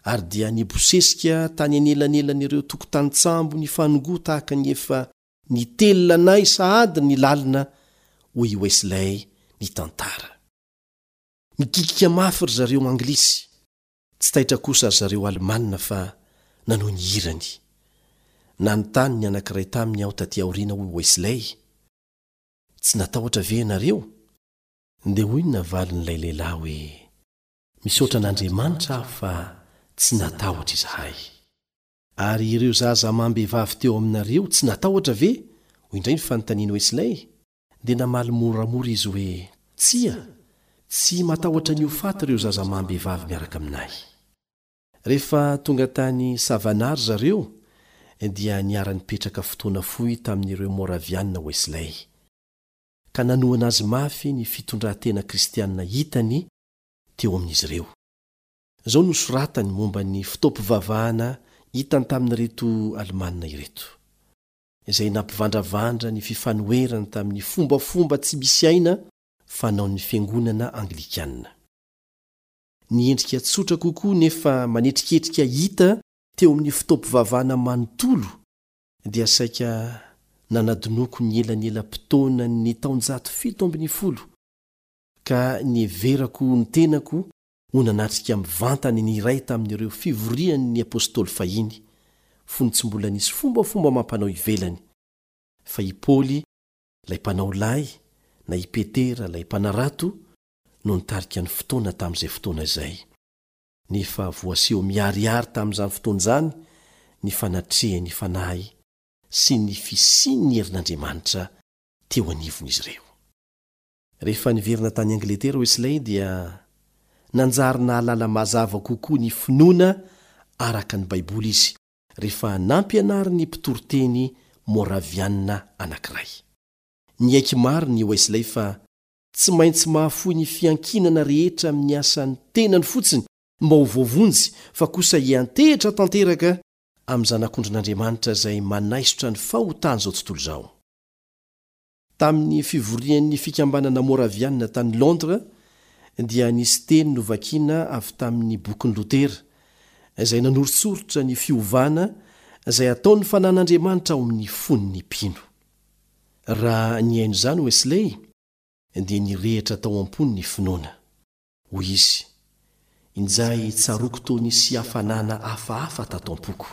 ary dia nibosesika tany anelanelan'ireo tokotanin-tsambo nifanongoa tahaka ny efa nitelina anay sahady ny lalina, hoy i Wesley nitantara. Nikikika mafy ry zareo Anglisy. Tsy taitra kosa ry zareo Alemana fa nanohy ny hirany. Nanontany ny anankiray taminy aho tatỳ aoriana hoy Wesley, Tsy natahotra ve ianareo? Dia hoy ny navalin'ilay lehilahy hoe, Misaotra an'Andriamanitra aho fa tsy natahotra izahay. Ary ireo zaza amam-behivavy teo aminareo tsy natahotra ve? hoy indray ny fanontanian'i Wesley. Dia namaly moramora izy hoe, Tsia, tsy matahotra ny ho faty ireo zaza amam-behivavy miaraka aminay. Rehefa tonga tany Savannah ry zareo, dia niara-nipetraka fotoana fohy tamin'ireo Moraviana Wesley, ka nanohana azy mafy ny fitondran-tena kristiana hitany teo amin'izy ireo. Izao no soratany momba ny fotoam-pivavahana hitany tamin'ireto Alemana ireto. izay nampivandravandra ny fifanoherany tamin'ny fombafomba tsy misy aina fanaon'ny Fiangonana Anglikana. Ny endrika tsotra kokoa nefa manetriketrika hita teo amin'ny fotoam-pivavahana manontolo dia saika nanadinoako ny elanelam-potoanan'ny taonjato 17, ka niheverako ny tenako ho nanatrika mivantana ny iray tamin'ireo fivorian'ny apostoly fahiny, fony tsy mbola nisy fombafomba amam-panao ivelany, fa i Paoly, ilay mpanao lay, na i Petera, ilay mpanarato, no nitarika ny fotoana tamin'izay fotoana izay. Nefa voaseho miharihary tamin'izany fotoana izany ny fanatrehan'ny Fanahy sy ny fisian'ny herin'Andriamanitra teo anivon'izy ireo. Rehefa niverina tany Angletera Wesley dia nanjary nahalala mazava kokoa ny finoana araka ny Baiboly izy rehefa nampianarin'ny mpitoriteny Moraviana anankiray. Niaiky marina i Wesley fa tsy maintsy mahafoy ny fiankinana rehetra amin'ny asan'ny tenany fotsiny mba ho voavonjy fa kosa hiantehitra tanteraka amin'ny Zanak'ondrin'Andriamanitra izay manaisotra ny fahotan'izao tontolo izao. Tamin'ny fivorian'ny Fikambanana Moraviana tany Londres dia nisy teny novakina avy tamin'ny bokin'i Lotera, izay nanoritsoritra ny fiovana izay ataon'ny Fanan'Andriamanitra ao amin'ny fon'ny mpino. Raha nihaino izany Wesley, dia nirehitra tao am-pony ny finoana. Hoy izy, Injay tsaroako toa nisy hafanana hafahafa tato am-poko.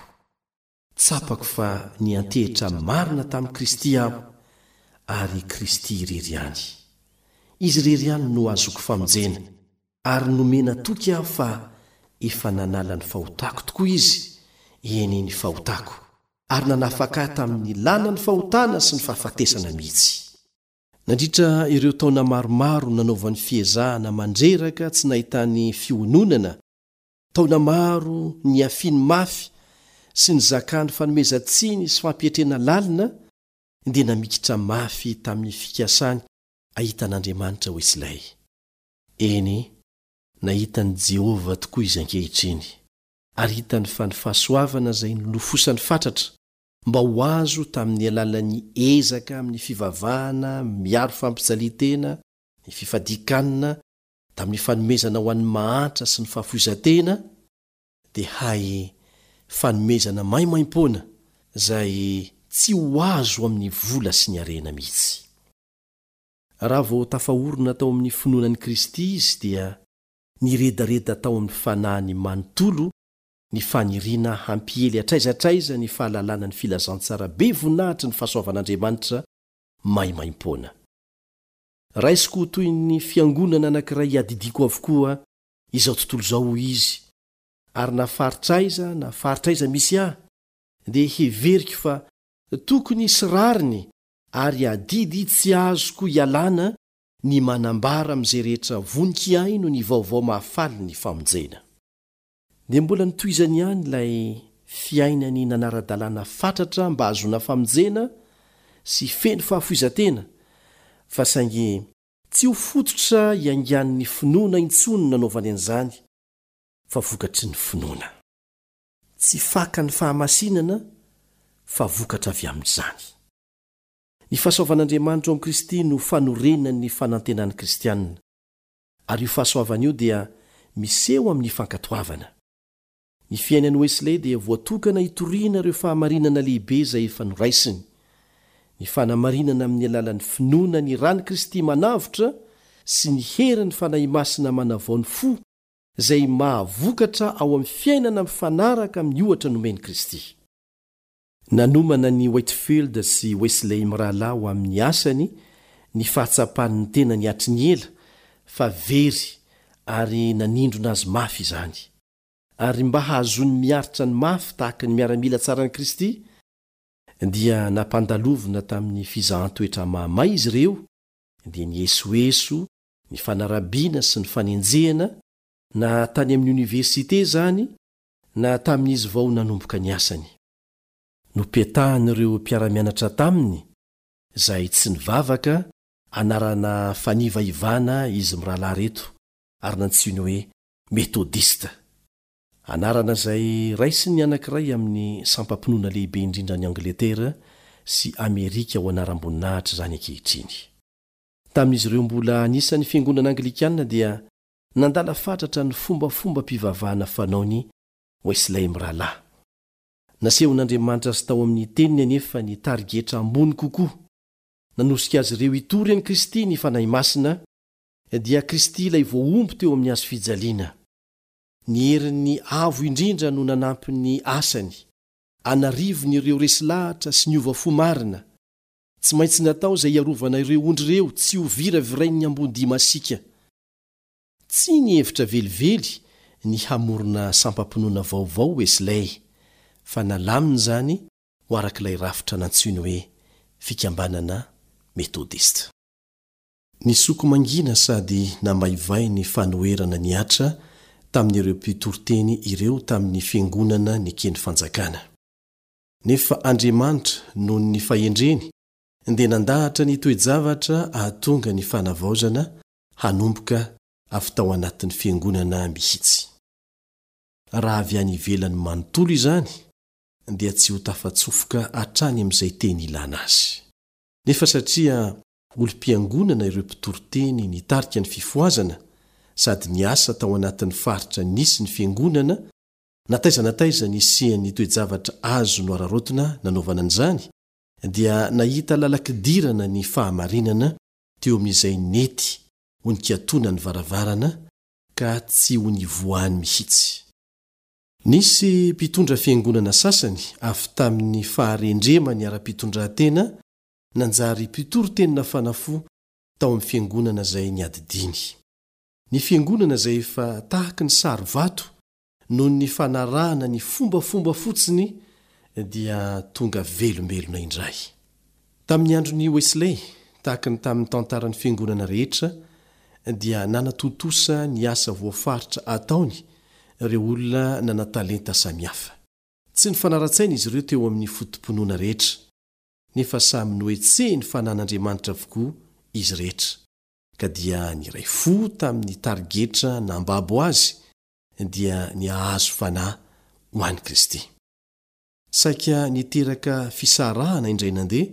Tsapako fa niantehitra marina tamin'i Kristy aho, ary Kristy irery ihany. Izy irery ihany no ahazoako famonjena, ary nomena toky aho fa efa nanala ny fahotako tokoa Izy, eny, ny fahotako, ary nanafaka ahy tamin'ny lalan'ny fahotana sy ny fahafatesana mihitsy. Nandritra ireo taona maromaro nanaovany fiezahana mandreraka tsy nahitany fiononana, taona maro niafiany mafy sy nizakany fanomezan-tsiny sy fampietrena lalina, dia namikitra mafy tamin'ny fikasany hahita an'Andriamanitra Wesley. Eny, nahita an'i Jehovah tokoa izy ankehitriny, ary hitany fa ny fahasoavana izay nolofosany fatratra mba ho azo tamin'ny alalan'ny ezaka amin'ny fivavahana miaro fampijalian-tena, ny fifadian-kanina, tamin'ny fanomezana ho an'ny mahantra sy ny fahafoizan-tena, dia hay fanomezana maimaimpoana izay tsy ho azo amin'ny vola sy ny harena mihitsy. Raha vao tafaorina tao amin'ny finoana an'i Kristy izy dia niredareda tao amin'ny fanahiny manontolo ny faniriana hampiely hatraiza hatraiza ny fahalalana ny filazantsara be voninahitry ny fahasoavan'Andriamanitra maimaimpoana. Raisiko ho toy ny fiangonana anankiray iadidiako avokoa izao tontolo izao, hoy izy, ary na faritra aiza na faritra aiza misy ahy, dia heveriko fa tokony hisy rariny ary adidy tsy azoko ialana ny manambara amin'izay rehetra vonon-kihaino ny vaovao mahafaly ny famonjena. Dia mbola notohizany ihany ilay fiainany nanara-dalàna fatratra mba hahazoana famonjena sy feno fahafoizan-tena, fa saingy tsy ho fototra iaingan'ny finoana intsony ny nanaovany an'izany, fa vokatry ny finoana. Tsy fakan'ny fahamasinana fa vokatra avy amin'izany. Ny fahasoavan'Andriamanitra ao amin'i Kristy no fanorenan'ny fanantenan'ny kristiana. Ary io fahasoavana io dia miseho amin'ny fankatoavana. Ny fiainan'i Wesley dia voatokana hitoriana ireo fahamarinana lehibe izay efa noraisiny. Ny fanamarinana amin'ny alalan'ny finoana ny ran'i Kristy manavotra sy ny herin'ny Fanahy Masina manavao ny fo izay mahavokatra ao amin'ny fiainana mifanaraka amin'ny ohatra nomen'i Kristy. Nanomana an'i Whitefield sy Wesley mirahalahy ho amin'ny asany ny fahatsapany ny tenany hatry ny ela fa very ary nanindrona azy mafy izany. Ary mba hahazoany miaritra ny mafy tahaka ny miaramila tsaran'i Kristy, dia nampandalovina tamin'ny fizahan-toetra mahamay izy ireo, dia ny esoeso, ny fanarabiana sy ny fanenjehana, na tany amin'ny oniversite izany na tamin'izy vao nanomboka ny asany. Nopetahan'ireo mpiara-mianatra taminy, izay tsy nivavaka, anarana fanivaivana izy mirahalahy ireto ary nantsoiny hoe Metodista. Anarana izay raisin'ny anankiray amin'ny sampam-pinoana lehibe indrindra any Angletera sy Amerika ho anaram-boninahitra izany ankehitriny. Tamin'izy ireo mbola anisan'ny Fiangonana Anglikana dia Nandala fatratra ny fombafombam-pivavahana fanaony Wesley mirahalahy. Nasehon'Andriamanitra azy tao amin'ny Teniny anefa ny tarigetra ambony kokoa. Nanosika azy ireo hitory an'i Kristy ny Fanahy Masina, dia Kristy ilay voahombo teo amin'ny hazo fijaliana. Ny herin'ny Avo Indrindra no nanampy ny asany, an'arivony ireo resy lahatra sy niova fo marina. Tsy maintsy natao izay hiarovana ireo ondry ireo tsy ho viravirain'ny ambodia masiaka. Tsy nihevitra velively ny hamorona sampam-pinoana vaovao Wesley, fa nalaminy izany ho araka ilay rafitra nantsoiny hoe Fikambanana Metodista. Nisoko mangina sady namaivay ny fanoherana nihatra tamin'ireo mpitoriteny ireo tamin'ny fiangonana neken'ny fanjakana. Nefa Andriamanitra, noho ny fahendreny, dia nandahatra ny toe-javatra hahatonga ny fanavaozana hanomboka avy tao anatin'ny fiangonana mihitsy. Raha avy any ivelany manontolo izany dia tsy ho tafatsofoka hatrany amin'izay teny ilana azy. Nefa satria olom-piangonana ireo mpitoriteny nitarika ny fifohazana sady niasa tao anatin'ny faritra nisy ny fiangonana, na taiza na taiza nisian'ny toe-javatra azo noararaotina nanaovana an'izany, dia nahita lalan-kidirana ny fahamarinana teo amin'izay nety ho nikatona ny varavarana ka tsy ho nivoahany mihitsy. Nisy mpitondra fiangonana sasany avy tamin'ny faharendremany ara-pitondrantena nanjary mpitory teny nafana fo tao amin'ny fiangonana izay niadidiany. Ny fiangonana izay efa tahaky ny sary vato noho ny fanarahana ny fombafomba fotsiny dia tonga velombelona indray. Tamin'ny andron'i Wesley, tahaka ny tamin'ny tantaran'ny fiangonana rehetra, dia nanatontosa ny asa voafaritra ataony ireo olona nanan-talenta samihafa. Tsy nifanara-tsaina izy ireo teo amin'ny foto-pinoana rehetra, nefa samy nohetsehin'ny fanan'Andriamanitra avokoa izy rehetra, ka dia niray fo tamin'ny tarigetra nambabo azy dia ny hahazo fanahy ho an'i Kristy. Saika niteraka fisarahana indray nandeha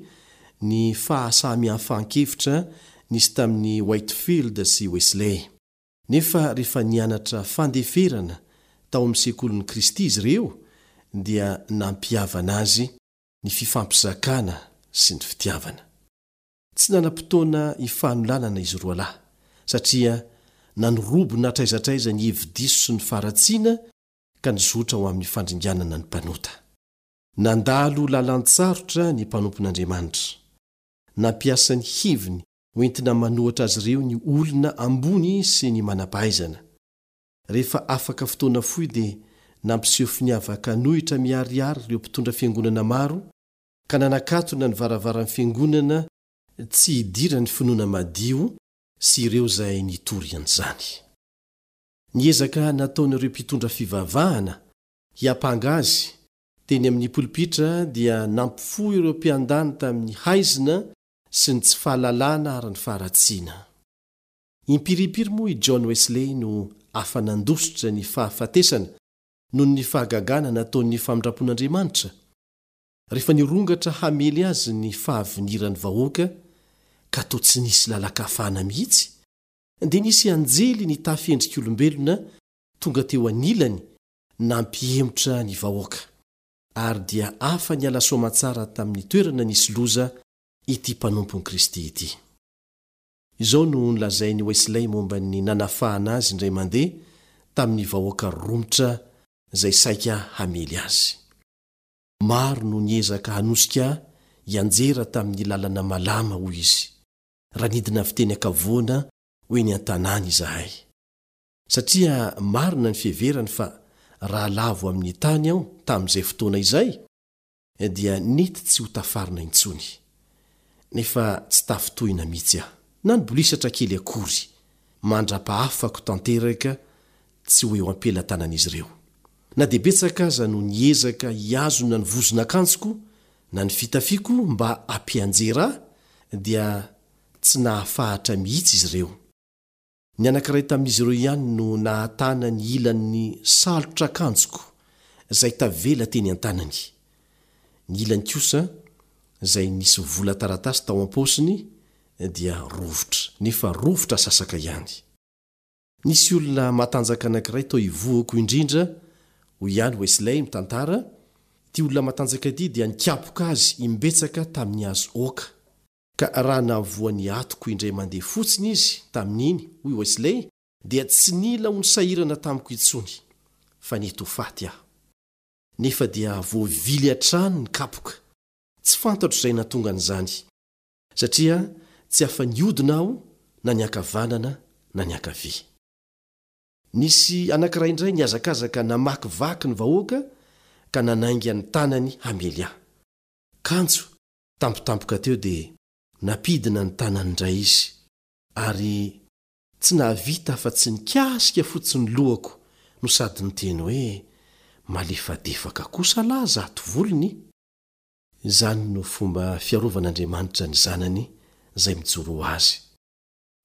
ny fahasamihafan-kevitra nisy tamin'i Whitefield sy Wesley. Nefa rehefa nianatra fandeferana tao amin'ny sekolin'i Kristy izy ireo dia nampihavana azy ny fifampizakana sy ny fitiavana. Tsy nanam-potoana hifanolanana izy roalahy, satria nanorobona hatraiza hatraiza ny hevi-diso sy ny faharatsiana ka nizotra ho amin'ny fandringanana ny mpanota. Nandalo lalan-tsarotra ny mpanompon'Andriamanitra. Nampiasa ny heviny hoentina manohatra azy ireo ny olona ambony sy ny manam-pahaizana. Rehefa afaka fotoana fohy dia nampiseho finiavan-kanohitra miharihary ireo mpitondra fiangonana maro ka nanakatona ny varavaran'ny fiangonana tsy hidiran'ny finoana madio sy ireo izay nitory an'izany. Ny ezaka nataon'ireo mpitondra fivavahana hiampanga azy teny amin'ny polipitra dia nampifoha ireo mpiandany tamin'ny haizina sy ny tsy fahalalana ary ny faharatsiana. Impirimpiry moa i John Wesley no afa-nandositra ny fahafatesana noho ny fahagagana nataon'ny famindram-pon'Andriamanitra? Rehefa nirongatra hamely azy ny fahaviniran'ny vahoaka ka toa tsy nisy lalan-kafana mihitsy, dia nisy anjely nitafy endrik'olombelona tonga teo anilany nampihemotra ny vahoaka, ary dia afa-niala soamantsara tamin'ny toerana nisy loza ity mpanompon'i Kristy ity. Izao no nolazain'i Wesley momba ny nanafahana azy indray mandeha tamin'ny vahoaka romotra izay saika hamely azy. Maro no niezaka hanosika ahy hianjera tamin'ny lalana malama, hoy izy, raha nidina avy teny an-kavoana ho eny an-tanàna izahay. Satria marina ny fiheverany fa raha lavo amin'ny tany aho tamin'izay fotoana izay, dia nety tsy ho tafarina intsony. Nefa tsy tafintohina mihitsy aho, na nibolisatra kely akory, mandra-pahafako tanteraka tsy ho eo am-pelatanan'izy ireo. Na dia betsaka aza no niezaka hihazona ny vozon'akanjoko na ny fitafiako mba hampianjera ahy, dia tsy nahafahatra mihitsy izy ireo. Ny anankiray tamin'izy ireo ihany no nahatana ny ilan'ny salotr'akanjoko izay tavela teny an-tanany. Ny ilany kosa, izay nisy vola taratasy tao am-paosiny, dia rovitra, nefa rovitra sasaka ihany. Nisy olona matanjaka anankiray tao ivohoko indrindra, hoy ihany Wesley mitantara, ity olona matanjaka ity dia nikapoka azy imbetsaka tamin'ny hazo oaka. Ka raha nahavoa ny atoko indray mandeha fotsiny izy tamin'iny, hoy Wesley, dia tsy nila ho nisahirana tamiko intsony, fa nety ho faty aho. Nefa dia voavily hatrany ny kapoka. Tsy fantatro izay nahatonga an'izany. Satria tsy afa-nihodina aho na niankavanana na niankavia. Nisy anankiray indray nihazakazaka namakivaky ny vahoaka ka nanainga ny tanany hamely ahy. Kanjo, tampotampoka teo dia nampidina ny tanany indray izy, ary tsy nahavita afa-tsy nikasika fotsiny ny lohako no sady niteny hoe, Malefadefaka kosa lahy zato volony! Izany no fomba fiarovan'Andriamanitra ny zanany izay mijoro ho azy.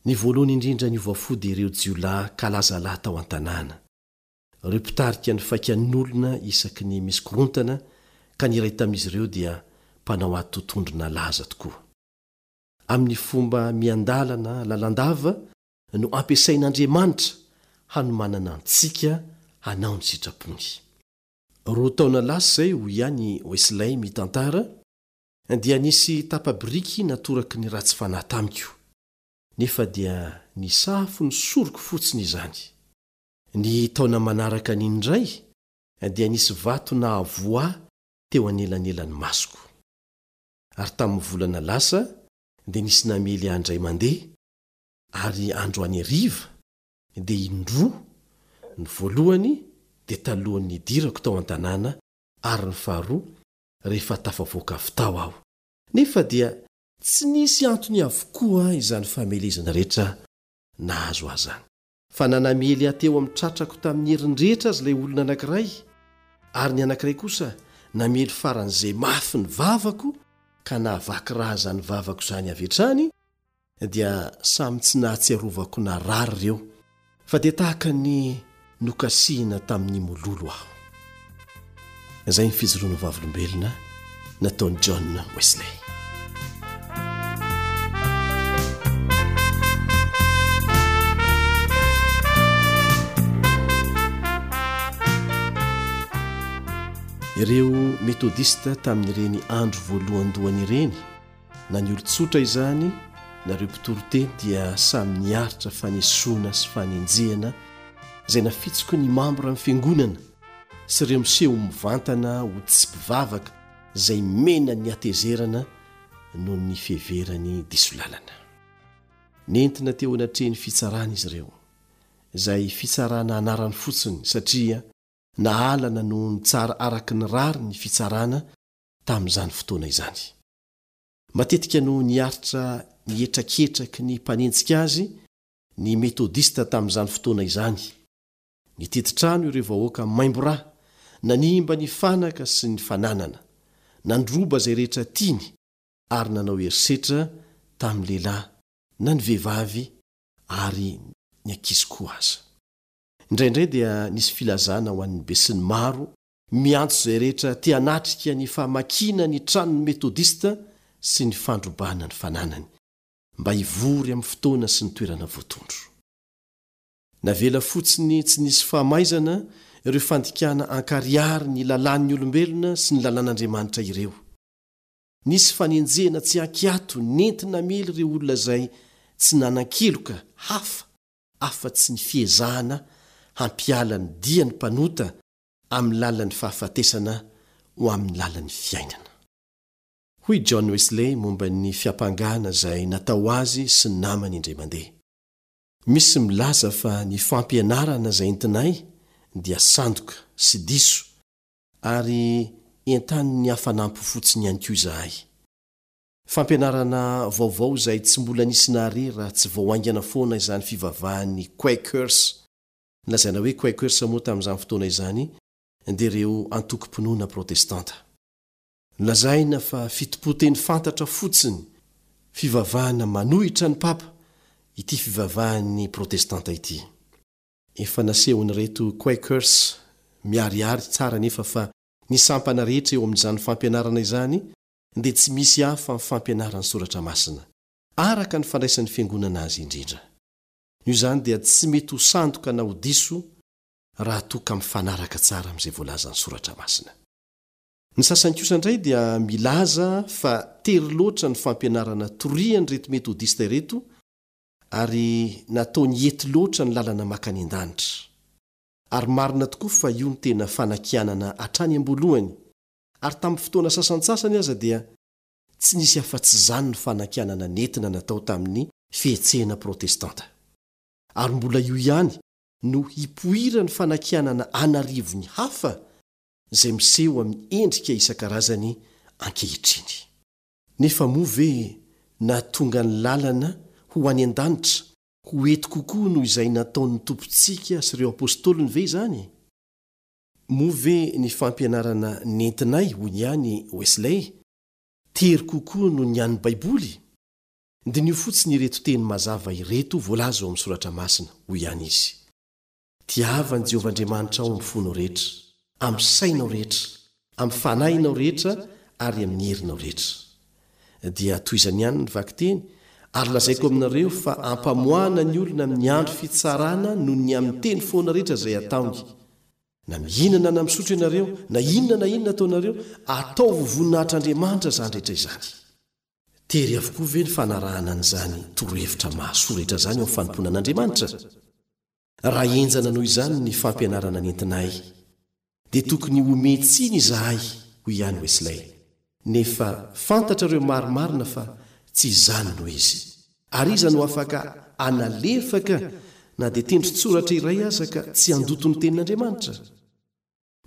Ny voalohany indrindra niova fo dia ireo jiolahy kalazalahy tao an-tanàna. Ireo mpitarika ny faikan'olona isaky ny misy korontana ka ny iray tamin'izy ireo dia mpanao ady totohondry nalaza tokoa. Amin'ny fomba miandalana lalandava no ampiasain'Andriamanitra hanomanana antsika hanao ny sitrapony. Roa taona lasa izay, hoy ihany i Wesley mitantara, Dia nisy tapa-biriky natoraky ny ratsy fanahy tamiko, nefa dia nisafo ny soroko fotsiny izany. Ny taona manaraka an'iny indray dia nisy vato nahavoa ahy teo anelanelan'ny masoko. Ary tamin'ny volana lasa dia nisy namely ahy indray mandeha, ary androany hariva dia indroa, ny voalohany dia talohan'ny nidirako tao an-tanàna ary ny faharoa rehefa tafavoaka avy tao aho. Nefa dia tsy nisy antony avokoa izany famelezana rehetra nahazo ahy izany. Fa na namely ahy teo amin'ny tratrako tamin'ny heriny rehetra aza ilay olona anankiray, ary ny anankiray kosa namely faran'izay mafy ny vavako ka nahavaky rà izany vavako izany avy hatrany, dia samy tsy nahatsiarovako narary ireo fa dia tahaka ny nokasihina tamin'ny mololo aho. Izay ny fijoroana vavolombelona nataon'i John Wesley. Ireo Metodista tamin'ireny andro voalohandohany ireny Na ny olon-tsotra izany na ireo mpitory teny dia samy niaritra fanesoana sy fanenjehana izay nafitsoky ny mambra ny fiangonana sy ireo miseho mivantana ho tsy mpivavaka izay mena ny hatezerana noho ny fiheverany diso lalana. Nentina teo anatrehan'ny fitsarana izy ireo, izay fitsarana anarany fotsiny satria nahalana noho ny tsara araka ny rariny ny fitsarana tamin'izany fotoana izany. Matetika no niaritra ny hetraketraky ny mpanenjika azy ny Metodista tamin'izany fotoana izany. Nitety trano ireo vahoaka maimbo ra, nanimba ny fanaka sy ny fananana, nandroba izay rehetra tiany ary nanao herisetra tamin'ny lehilahy na ny vehivavy ary ny ankizy koa aza. Indraindray dia nisy filazana ho an'ny besinimaro Miantso izay rehetra te hanatrika ny famakiana ny tranon'ny Metodista sy ny fandrobana ny fananany, mba hivory amin'ny fotoana sy ny toerana voatondro. Navela fotsiny tsy nisy famaizana ireo fandikana ankarihary ny lalàn'ny olombelona sy ny lalàn'Andriamanitra ireo. Nisy fanenjehana tsy an-kiato nenti-namely ireo olona izay tsy nanan-keloka hafa afa-tsy ny fiezahana hampiala ny dian'ny mpanota amin'ny lalan'ny fahafatesana ho amin'ny lalan'ny fiainana. Hoy John Wesley momba ny fiampangana izay natao azy sy ny namany indray mandeha, Misy milaza fa ny fampianarana izay entinay dia sandoka sy diso ary entanin'ny hafanam-po fotsiny ihany koa izahay. Fampianarana vaovao izay tsy mbola nisy nahare raha tsy vao haingana foana izany fivavahan'ny Quakers Ny lazaina hoe Quakers moa tamin'izany fotoana izany dia ireo antokom-pinoana protestanta. Nolazaina fa fitompoan-teny fantatra fotsiny, fivavahana manohitra ny Papa, ity fivavahan'ny protestanta ity. Efa nasehon'ireto Quakers miharihary tsara anefa fa ny sampana rehetra eo amin'izany fampianarana izany dia tsy misy hafa amin'ny fampianaran'ny Soratra Masina, araka ny fandraisan'ny Fiangonana azy indrindra. Noho izany dia tsy mety ho sandoka na ho diso raha toa ka mifanaraka tsara amin'izay voalazan'ny Soratra Masina. Ny sasany kosa indray dia milaza fa tery loatra ny fampianarana torian'ireto Metodista ireto ary nataony ety loatra ny lalana makany an-danitra. Ary marina tokoa fa io no tena fanakianana hatrany am-boalohany, ary tamin'ny fotoana sasantsasany aza dia Tsy nisy afa-tsy izany ny fanakianana nentina natao tamin'ny fihetsehana protestanta. Ary mbola io ihany no hipoiran'ny fanakianana an'arivony hafa izay miseho amin'ny endrika isan-karazany ankehitriny. Nefa moa ve nahatonga ny lalana ho any an-danitra ho ety kokoa noho izay nataon'ny Tompontsika sy ireo Apostoliny ve izany? Moa ve ny fampianarana nentinay, hoy ihany Wesley, tery kokoa noho ny an'ny Baiboly? Diniho fotsiny ireto teny mazava ireto voalaza ao amin'ny Soratra Masina, hoy ihany izy, Tiava an'i Jehovah Andriamanitrao amin'ny fonao rehetra, amin'ny sainao rehetra, amin'ny fanahinao rehetra ary amin'ny herinao rehetra. Dia tohizany ihany ny vakiteny, Ary lazaiko aminareo fa hampamoahana ny olona amin'ny andro fitsarana noho ny amin'ny teny foana rehetra izay ataony. Na mihinana na misotro ianareo, na inona na inona ataonareo, ataovy ho voninahitr'Andriamanitra izany rehetra izany. Tery avokoa ve ny fanarahana an'izany torohevitra mahasoa rehetra izany eo amin'ny fanompoana an'Andriamanitra? Raha henjana noho izany ny fampianarana nentinay, dia tokony homen-tsiny izahay, hoy ihany Wesley. Nefa fantatrareo marimarina fa tsy izany no izy. Ary iza no afaka hanalefaka na dia tendron-tsoratra iray aza ka tsy handoto ny Tenin'Andriamanitra?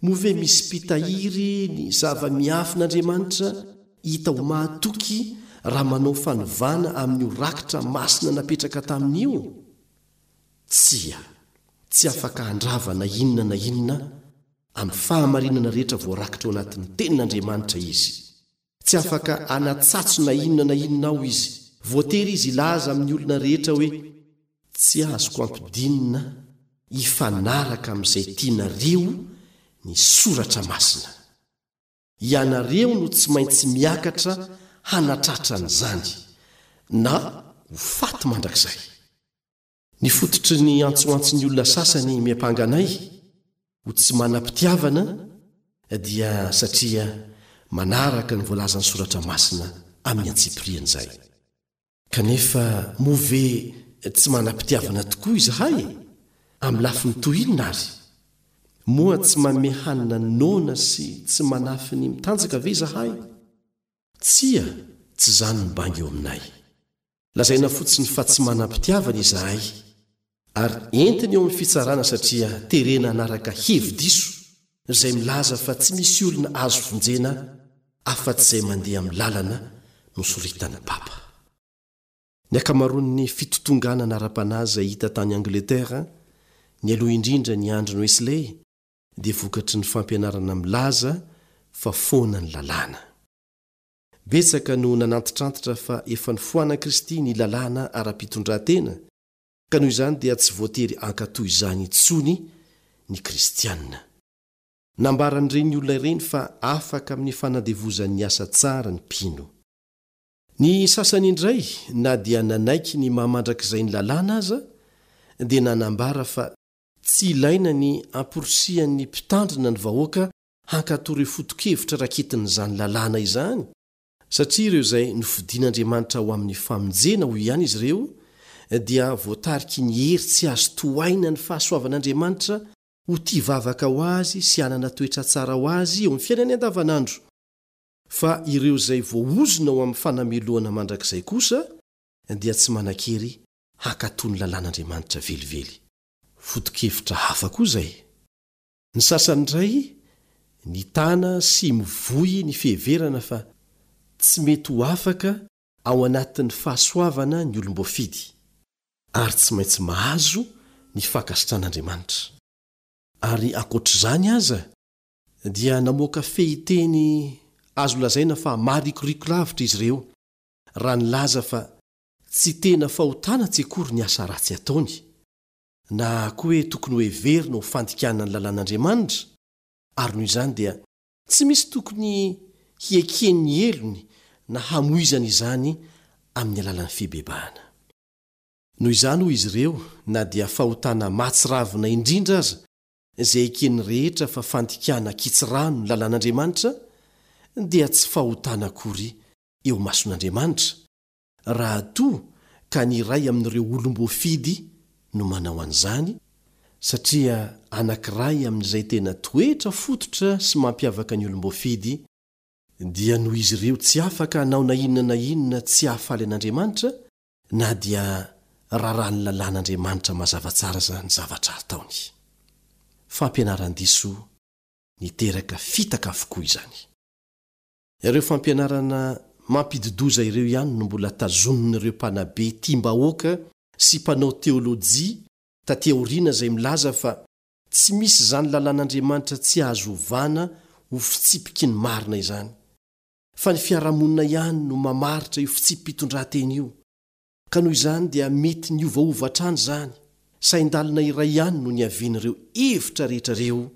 Moa ve misy mpitahiry ny zava-miafin'Andriamanitra hita ho mahatoky raha manao fanovana amin'io rakitra masina napetraka taminy io? Tsia. Tsy afaka handrava na inona na inona amin'ny fahamarinana rehetra voarakitra ao anatin'ny Tenin'Andriamanitra izy. Tsy afaka hanatsatso na inona na inona ao izy. Voatery izy hilaza amin'ny olona rehetra hoe, Tsy azoko ampidinina hifanaraka amin'izay tianareo ny Soratra Masina. Ianareo no tsy maintsy miakatra hanatratra an'izany, na ho faty mandrakizay. Ny fototry ny antsoantson'ny olona sasany miampanga anay ho tsy manam-pitiavana dia satria manaraka ny voalazan'ny Soratra Masina amin'ny antsipiriany izay. Kanefa moa ve tsy manam-pitiavana tokoa izahay? Amin'ny lafiny toy inona àry? Moa tsy manome hanina ny noana sy tsy manafy ny mitanjaka ve izahay? Tsia, tsy izany ny banga eo aminay. Lazaina fotsiny fa tsy manam-pitiavana izahay ary entiny eo amin'ny fitsarana satria terena hanaraka hevi-diso izay milaza fa tsy misy olona azo vonjena afa-tsy izay mandeha amin'ny lalana nosoritan'ny Papa. Ny ankamaroan'ny fitotonganana ara-panahy izay hita tany Angletera nialoha indrindra ny andron'i Wesley dia vokatry ny fampianarana milaza fa foana ny lalàna. Betsaka no nanantitrantitra fa efa nofoanan'i Kristy ny lalàna ara-pitondran-tena, ka noho izany dia tsy voatery hankatò izany intsony ny Kristianina. Nambaran'ireny olona ireny fa afaka amin'ny fanandevozan'ny asa tsara ny mpino. Ny sasany indray, na dia nanaiky ny maha mandrakizay ny lalàna aza, dia nanambara fa tsy ilaina ny hamporisihan'ny mpitandrina ny vahoaka hankatò ireo foto-kevitra raketin'izany lalàna izany, satria ireo izay nofidin'Andriamanitra ho amin'ny famonjena, hoy ihany izy ireo, dia voatariky ny hery tsy azo tohaina ny fahasoavan'Andriamanitra ho tia vavaka ho Azy sy hanana toetra tsara ho Azy eo amin'ny fiainany andavanandro, fa ireo izay voaozona ho amin'ny fanamelohana mandrakizay kosa dia tsy manan-kery hankatò ny lalàn'Andriamanitra velively. Foto-kevitra hafa koa izay. Ny sasany indray nitana sy mivoy ny fiheverana fa tsy mety ho afaka ao anatin'ny fahasoavana ny olom-boafidy, ary tsy maintsy mahazo ny fankasitran'Andriamanitra. Ary ankoatr'izany aza dia namoaka fehinteny azo lazaina fa maharikoriko lavitra izy ireo raha nilaza fa tsy tena fahotana tsy akory ny asa ratsy ataony, na koa hoe tokony hoheverina ho fandikana ny lalàn'Andriamanitra, ary noho izany dia tsy misy tokony hiekeny ny helony na hamoizany izany amin'ny alalan'ny fibebahana. Noho izany, hoy izy ireo, na dia fahotana mahatsiravina indrindra aza izay eken'ny rehetra fa fandikana an-kitsirano ny lalàn'Andriamanitra, dia tsy fahotana akory eo imason'Andriamanitra, raha toa ka ny iray amin'ireo olom-boafidy no manao an'izany, satria anankiray amin'izay tena toetra fototra sy mampiavaka ny olom-boafidy, dia noho izy ireo tsy afaka hanao na inona na inona tsy hahafaly an'Andriamanitra, na dia raràn'ny lalàn'Andriamanitra mazava tsara aza ny zavatra ataony. Fampianaran-diso niteraka fitaka avokoa izany. Ireo fampianarana mampidi-doza ireo ihany no mbola tazonin'ireo mpanabe tiam-bahoaka sy mpanao teolojia taty aoriana izay milaza fa tsy misy izany lalàn'Andriamanitra tsy azo ovana ho fitsipiky ny marina izany, fa ny fiarahamonina ihany no mamaritra io fitsipi-pitondran-tena io, ka noho izany dia mety niovaova hatrany izany, sain-dalina iray ihany no niavian'ireo hevitra rehetra ireo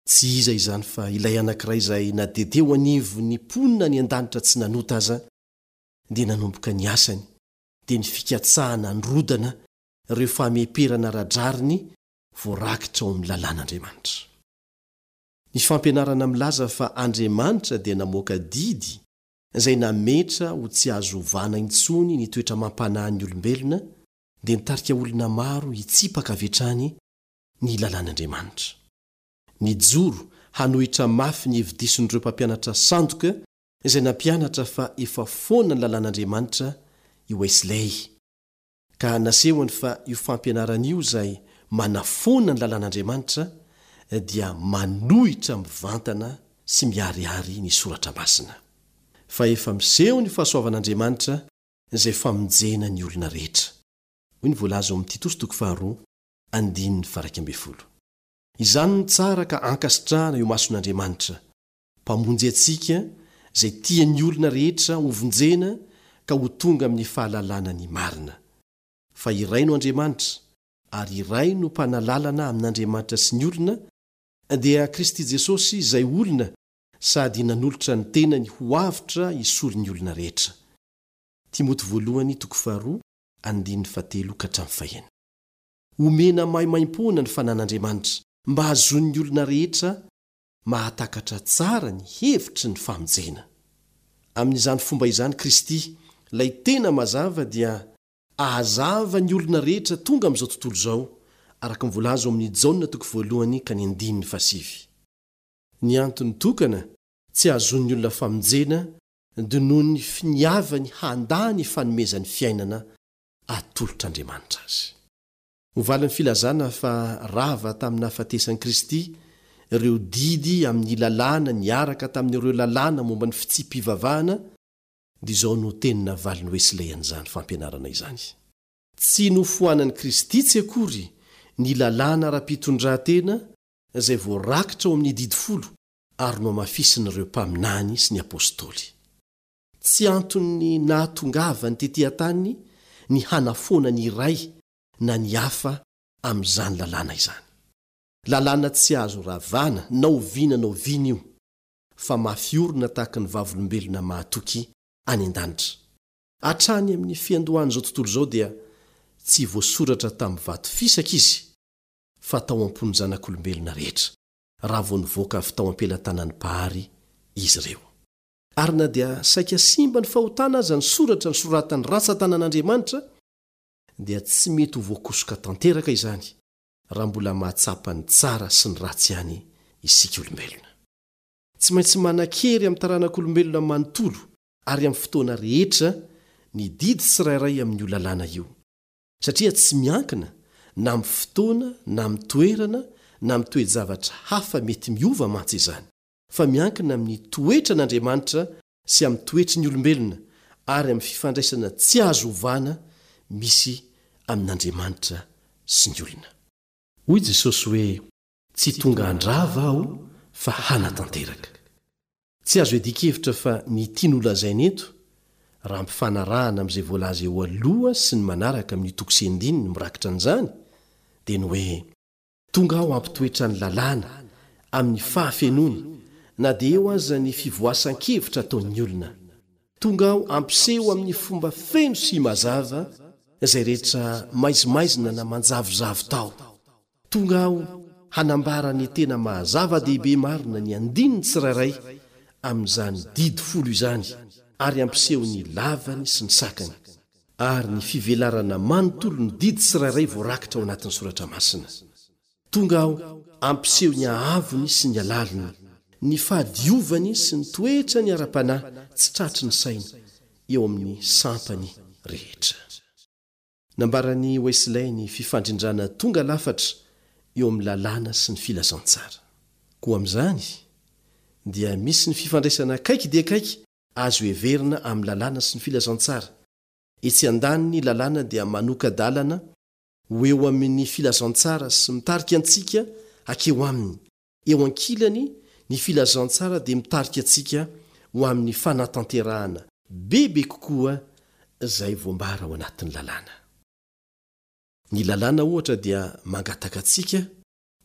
Tsy iza izany fa ilay anankiray izay na dia teo anivon'ny mponina any an-danitra tsy nanota aza dia nanomboka ny asany, dia ny fikatsahana handrodana ireo fameperana ara-drariny voarakitra ao amin'ny lalàn'Andriamanitra. Ny fampianarana milaza fa Andriamanitra dia namoaka didy izay nametra ho tsy azo ovana intsony ny toetra amam-panahin'ny olombelona dia nitarika olona maro hitsipaka avy hatrany ny lalàn'Andriamanitra. Nijoro hanohitra mafy ny hevi-dison'ireo mpampianatra sandoka izay nampianatra fa efa foana ny lalàn'Andriamanitra i Wesley, ka nasehony fa io fampianarana io izay manafoana ny lalàn'Andriamanitra dia manohitra mivantana sy miharihary ny Soratra Masina. Fa efa miseho ny fahasoavan'Andriamanitra izay famonjena ny olona rehetra. Hoy ny voalaza ao amin'ny Titosy toko faharoa andininy faha-11. Izany no tsara ka ankasitrahana eo imason'Andriamanitra, Mpamonjy antsika, izay tian'ny olona rehetra hovonjena ka ho tonga amin'ny fahalalana ny marina. Fa iray no Andriamanitra, ary iray no Mpanalalana amin'Andriamanitra sy ny olona, dia Kristy Jesosy izay olona sady nanolotra ny tenany ho avotra hisolo ny olona rehetra. Timoty voalohany toko faharoa andininy fahatelo ka hatramin'ny fahenina. Omena maimaimpoana ny fanan'Andriamanitra mba hahazoan'ny olona rehetra mahatakatra tsara ny hevitry ny famonjena. Amin'izany fomba izany Kristy, ilay tena mazava dia ahazava ny olona rehetra tonga amin'izao tontolo izao, araka ny voalaza ao amin'ny Jaona toko voalohany ka ny andininy fahasivy. Ny antony tokana tsy hahazoan'ny olona famonjena dia noho ny finiavany handà ny fanomezan'ny fiainana atolotr'Andriamanitra azy. Ho valin'ny filazana fa rava tamin'ny nahafatesan'i Kristy ireo didy amin'ny lalàna niaraka tamin'ireo lalàna momba ny fitsipi-pivavahana, dia izao no teny navalin'i Wesley an'izany fampianarana izany, Tsy nofoanan'i Kristy tsy akory ny lalàna ara-pitondran-tena izay voarakitra ao amin'ny Didy Folo ary nohamafisin'ireo mpaminany sy ny apostoly. Tsy anton'ny nahatongavany tetỳ an-tany ny hanafoana ny iray na ny hafa amin'izany lalàna izany. Lalàna tsy azo ravana na oviana na oviana io, fa mafy orina tahaka ny vavolombelona mahatoky any an-danitra. Hatrany amin'ny fiandohan'izao tontolo izao dia tsy voasoratra tamin'ny vato fisaka izy, fa tao am-pon'ny zanak'olombelona rehetra, raha vao nivoaka avy tao am-pelatanan'ny Mpahary izy ireo. Ary na dia saika simba ny fahotana aza ny soratra nosoratan'ny rantsantanan'Andriamanitra, dia tsy mety ho voakosoka tanteraka izany raha mbola mahatsapa ny tsara sy ny ratsy ihany isika olombelona. Tsy maintsy manan-kery amin'ny taranak'olombelona manontolo ary amin'ny fotoana rehetra ny didy tsirairay amin'io lalàna io, satria tsy miankina na amin'ny fotoana na amin'ny toerana na amin'ny toe-javatra hafa mety miova mantsy izany. fa miankina amin'ny toetran'Andriamanitra sy amin'ny toetry ny olombelona ary amin'ny fifandraisana tsy azo ovana misy amin'Andriamanitra sy ny olona. Hoy Jesosy hoe, Tsy tonga handrava Aho fa hanatanteraka. Tsy azo iadian-kevitra fa ny tiany holazaina eto, raha ampifanarahana amin'izay voalaza eo aloha sy ny manaraka amin'io toko sy andininy mirakitra an'izany, dia ny hoe, Tonga aho hampitoetra ny lalàna amin'ny fahafenoany na dia eo aza ny fivoasan-kevitra ataon'ny olona. Tonga aho hampiseho amin'ny fomba feno sy mazava izay rehetra maizimaizina na manjavozavo tao. Tonga aho hanambara ny tena maha-zava-dehibe marina ny andininy tsirairay amin'izany didy folo izany ary hampiseho ny lavany sy ny sakany. ary ny fivelarana manontolo ny didy tsirairay voarakitra ao anatin'ny Soratra Masina. Tonga aho hampiseho ny haavony sy ny halaliny, ny fahadiovany sy ny toetrany ara-panahy tsy tratry ny saina eo amin'ny sampany rehetra. Nambaran'i Wesley ny fifandrindrana tonga lafatra eo amin'ny lalàna sy ny filazantsara. Koa amin'izany, dia misy ny fifandraisana akaiky dia akaiky azo heverina amin'ny lalàna sy ny filazantsara. Etsy andaniny ny lalàna dia manoka-dalana ho eo amin'ny filazantsara sy mitarika antsika hakeo aminy. Eo ankilany, ny filazantsara dia mitarika antsika ho amin'ny fanatanterahana bebe kokoa izay voambara ao anatin'ny lalàna. Ny lalàna ohatra dia mangataka antsika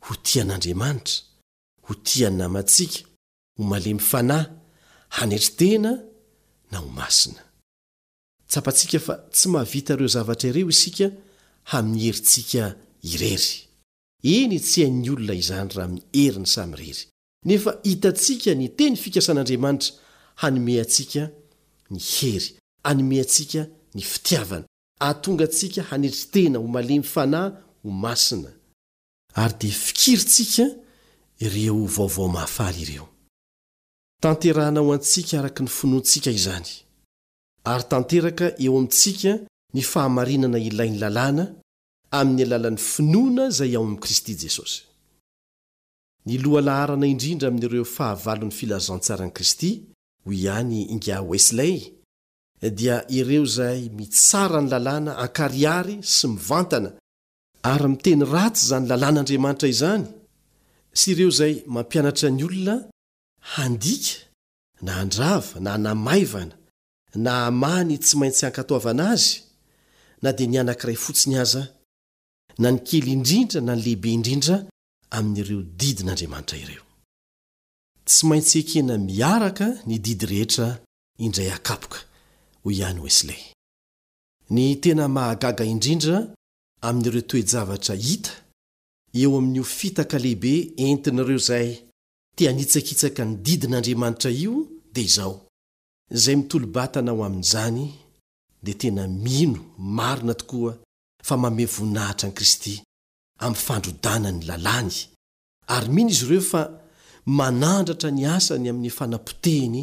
ho tia an'Andriamanitra, ho tia ny namantsika, ho malemy fanahy, hanetry tena na ho masina. Tsapantsika fa tsy mahavita ireo zavatra ireo isika amin'ny herintsika irery. Eny, tsy hain'ny olona izany raha amin'ny heriny samirery. Nefa hitantsika ny teny fikasan'Andriamanitra hanome antsika ny hery, hanome antsika ny fitiavana, hahatonga antsika hanetry tena, ho malemy fanahy, ho masina. Ary dia fikirintsika ireo vaovao mahafaly ireo. Tanterahana ho antsika araka ny finoantsika izany, ary tanteraka eo amintsika ny fahamarinana ilain'ny lalàna amin'ny alalan'ny finoana izay ao amin'i Kristy Jesosy. Ny lohalaharana indrindra amin'ireo fahavalon'ny filazantsaran'i Kristy, hoy ihany Ingahy Wesley, dia ireo izay mitsara ny lalàna an-karihary sy mivantana, ary miteny ratsy izany lalàn'Andriamanitra izany, sy ireo izay mampianatra ny olona handika na handrava na hanamaivana na hamaha ny tsy maintsy hankatoavana azy, na dia ny anankiray fotsiny aza, na ny kely indrindra na ny lehibe indrindra amin'ireo didin'Andriamanitra ireo. Tsy maintsy ekena miaraka ny didy rehetra indray akapoka, hoy ihany Wesley. Ny tena mahagaga indrindra amin'ireo toe-javatra hita eo amin'io fitaka lehibe entin'ireo izay te hanitsakitsaka ny didin'Andriamanitra io dia izao, izay mitolo-batana ho amin'izany dia tena mino marina tokoa fa manome voninahitra an'i Kristy amin'ny fandrodana ny lalàny, ary mino izy ireo fa manandratra ny asany amin'ny fanapotehiny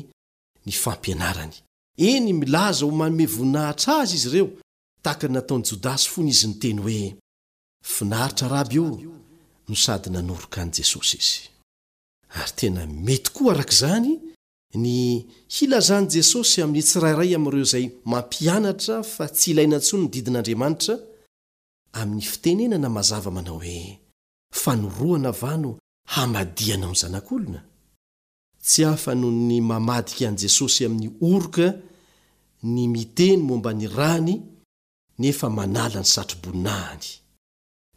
ny fampianarany. Eny, milaza ho manome voninahitra azy izy ireo, tahaka ny nataon'i Jodasy fony izy niteny hoe, Finaritra Raby ô! no sady nanoroka an'i Jesosy izy. Ary tena mety koa araka izany ny hilazan'i Jesosy amin'ny tsirairay amin'ireo izay mampianatra fa tsy ilaina intsony ny didin'Andriamanitra, amin'ny fitenenana mazava manao hoe, Fanorohana va no hamadihanao ny Zanak'olona? Tsy hafa noho ny mamadika an'i Jesosy amin'ny oroka ny miteny momba ny rany nefa manala ny satroboninahiny,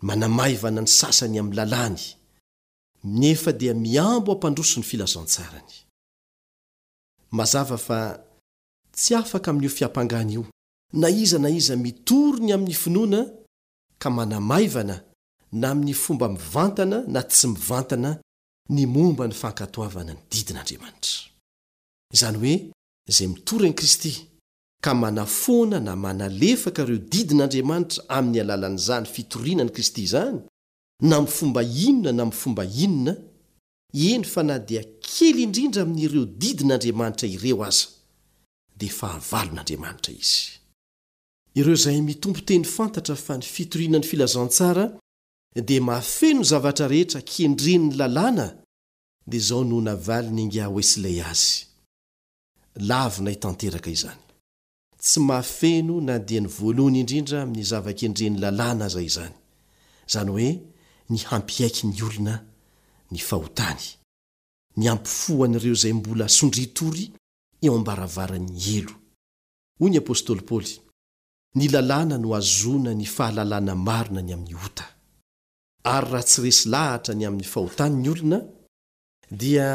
manamaivana ny sasany amin'ny lalàny, nefa dia mihambo hampandroso ny filazantsarany. Mazava fa tsy afaka amin'io fiampangana io na iza na iza mitory ny amin'ny finoana ka manamaivana na amin'ny fomba mivantana na tsy mivantana ny momba ny fankatoavana ny didin'Andriamanitra. Izany hoe izay mitory an'i Kristy ka manafoana na manalefaka ireo didin'Andriamanitra amin'ny alalan'izany fitoriana an'i Kristy izany, na amin'ny fomba inona na amin'ny fomba inona, eny fa na dia kely indrindra amin'ireo didin'Andriamanitra ireo aza, dia fahavalon'Andriamanitra izy. Ireo izay mitompo teny fantatra fa ny fitoriana ny filazantsara dia mahafeno ny zavatra rehetra kendren'ny lalàna dia izao no navalin'ingahy Wesley azy, Lavinay tanteraka izany. Tsy mahafeno na dia ny voalohany indrindra amin'ny zava-kendren'ny lalàna aza izany, izany hoe ny hampiaiky ny olona ny fahotany, ny hampifoha an'ireo izay mbola sondrian-tory eo am-baravaran'ny helo. Hoy ny apostoly Paoly, Ny lalàna no ahazoana ny fahalalana marina ny amin'ny ota. Ary raha tsy resy lahatra ny amin'ny fahotany ny olona, dia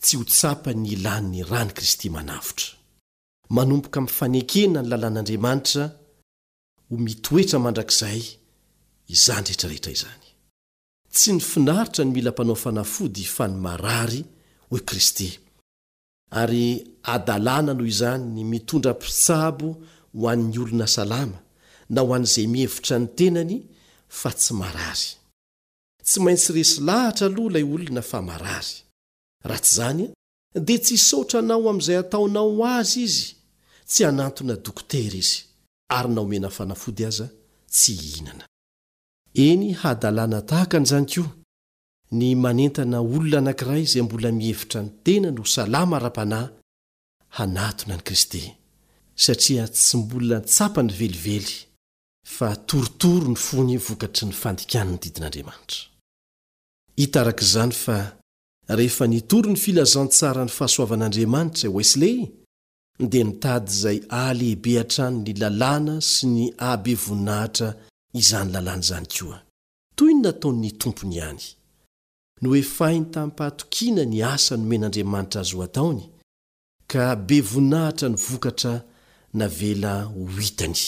tsy ho tsapany ny ilany ny ran'i Kristy manavotra. Manomboka amin'ny fanekena ny lalàn'Andriamanitra ho mitoetra mandrakizay izany rehetra rehetra izany. Tsy ny finaritra no mila mpanao fanafody fa ny marary, hoy Kristy. Ary hadalana noho izany ny mitondra mpitsabo ho an'ny olona salama na ho an'izay mihevitra ny tenany fa tsy marary. Tsy maintsy resy lahatra aloha ilay olona fa marary. Raha tsy izany dia tsy hisaotra anao amin'izay ataonao ho azy izy, tsy hanantona dokotera izy, ary na omena fanafody aza tsy hihinana. Eny hadalana tahaka an'izany koa ny manentana olona anankiray izay mbola mihevitra ny tenany ho salama ara-panahy hanatona an'i Kristy, satria tsy mbola tsapany velively fa torotoro ny fony vokatry ny fandikany ny didin'Andriamanitra. Hita araka izany fa rehefa nitory ny filazantsaran'ny fahasoavan'Andriamanitra i Wesley, dia nitady izay hahalehibe hatrany ny lalàna sy ny hahabe voninahitra izany lalàna izany koa. Toy ny nataon'ny Tompony ihany. Nohefainy tamim-pahatokiana ny asa nomen'Andriamanitra azy ho ataony, ka be voninahitra ny vokatra navela ho hitany.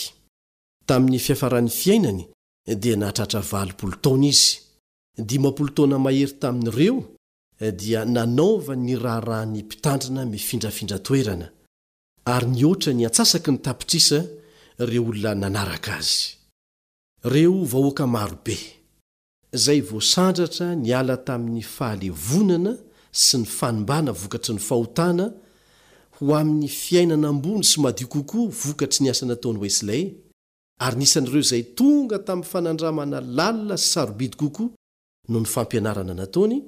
Tamin'ny fiafaran'ny fiainany dia nahatratra 80 taona izy, 50 taona mahery tamin'ireo dia nanaovany ny raharahan'ny mpitandrina mifindrafindra toerana, ary nihoatra ny antsasaky ny tapitrisa ireo olona nanaraka azy. Ireo vahoaka marobe, izay voasandratra niala tamin'ny fahalevonana sy ny fanimbana vokatry ny fahotana ho amin'ny fiainana ambony sy madio kokoa vokatry ny asa nataon'i Wesley, ary nisan'ireo izay tonga tamin'ny fanandramana lalina sy sarobidy kokoa noho ny fampianarana nataony,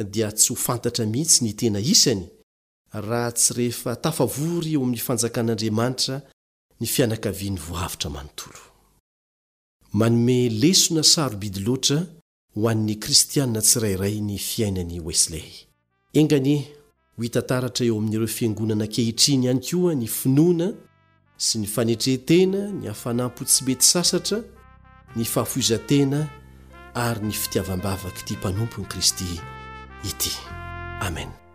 dia tsy ho fantatra mihitsy ny tena isany raha tsy rehefa tafavory eo amin'ny Fanjakan'Andriamanitra ny fianakaviany voavotra manontolo. Manome lesona sarobidy loatra ho an'ny Kristiana tsirairay ny fiainan'i Wesley. Enga anie ho hita taratra eo amin'ireo fiangonana ankehitriny ihany koa ny finoana sy ny fanetren-tena, ny hafanam-po tsy mety sasatra, ny fahafoizan-tena ary ny fitiavam-bavak'ity mpanompon'i Kristy ity. Amen.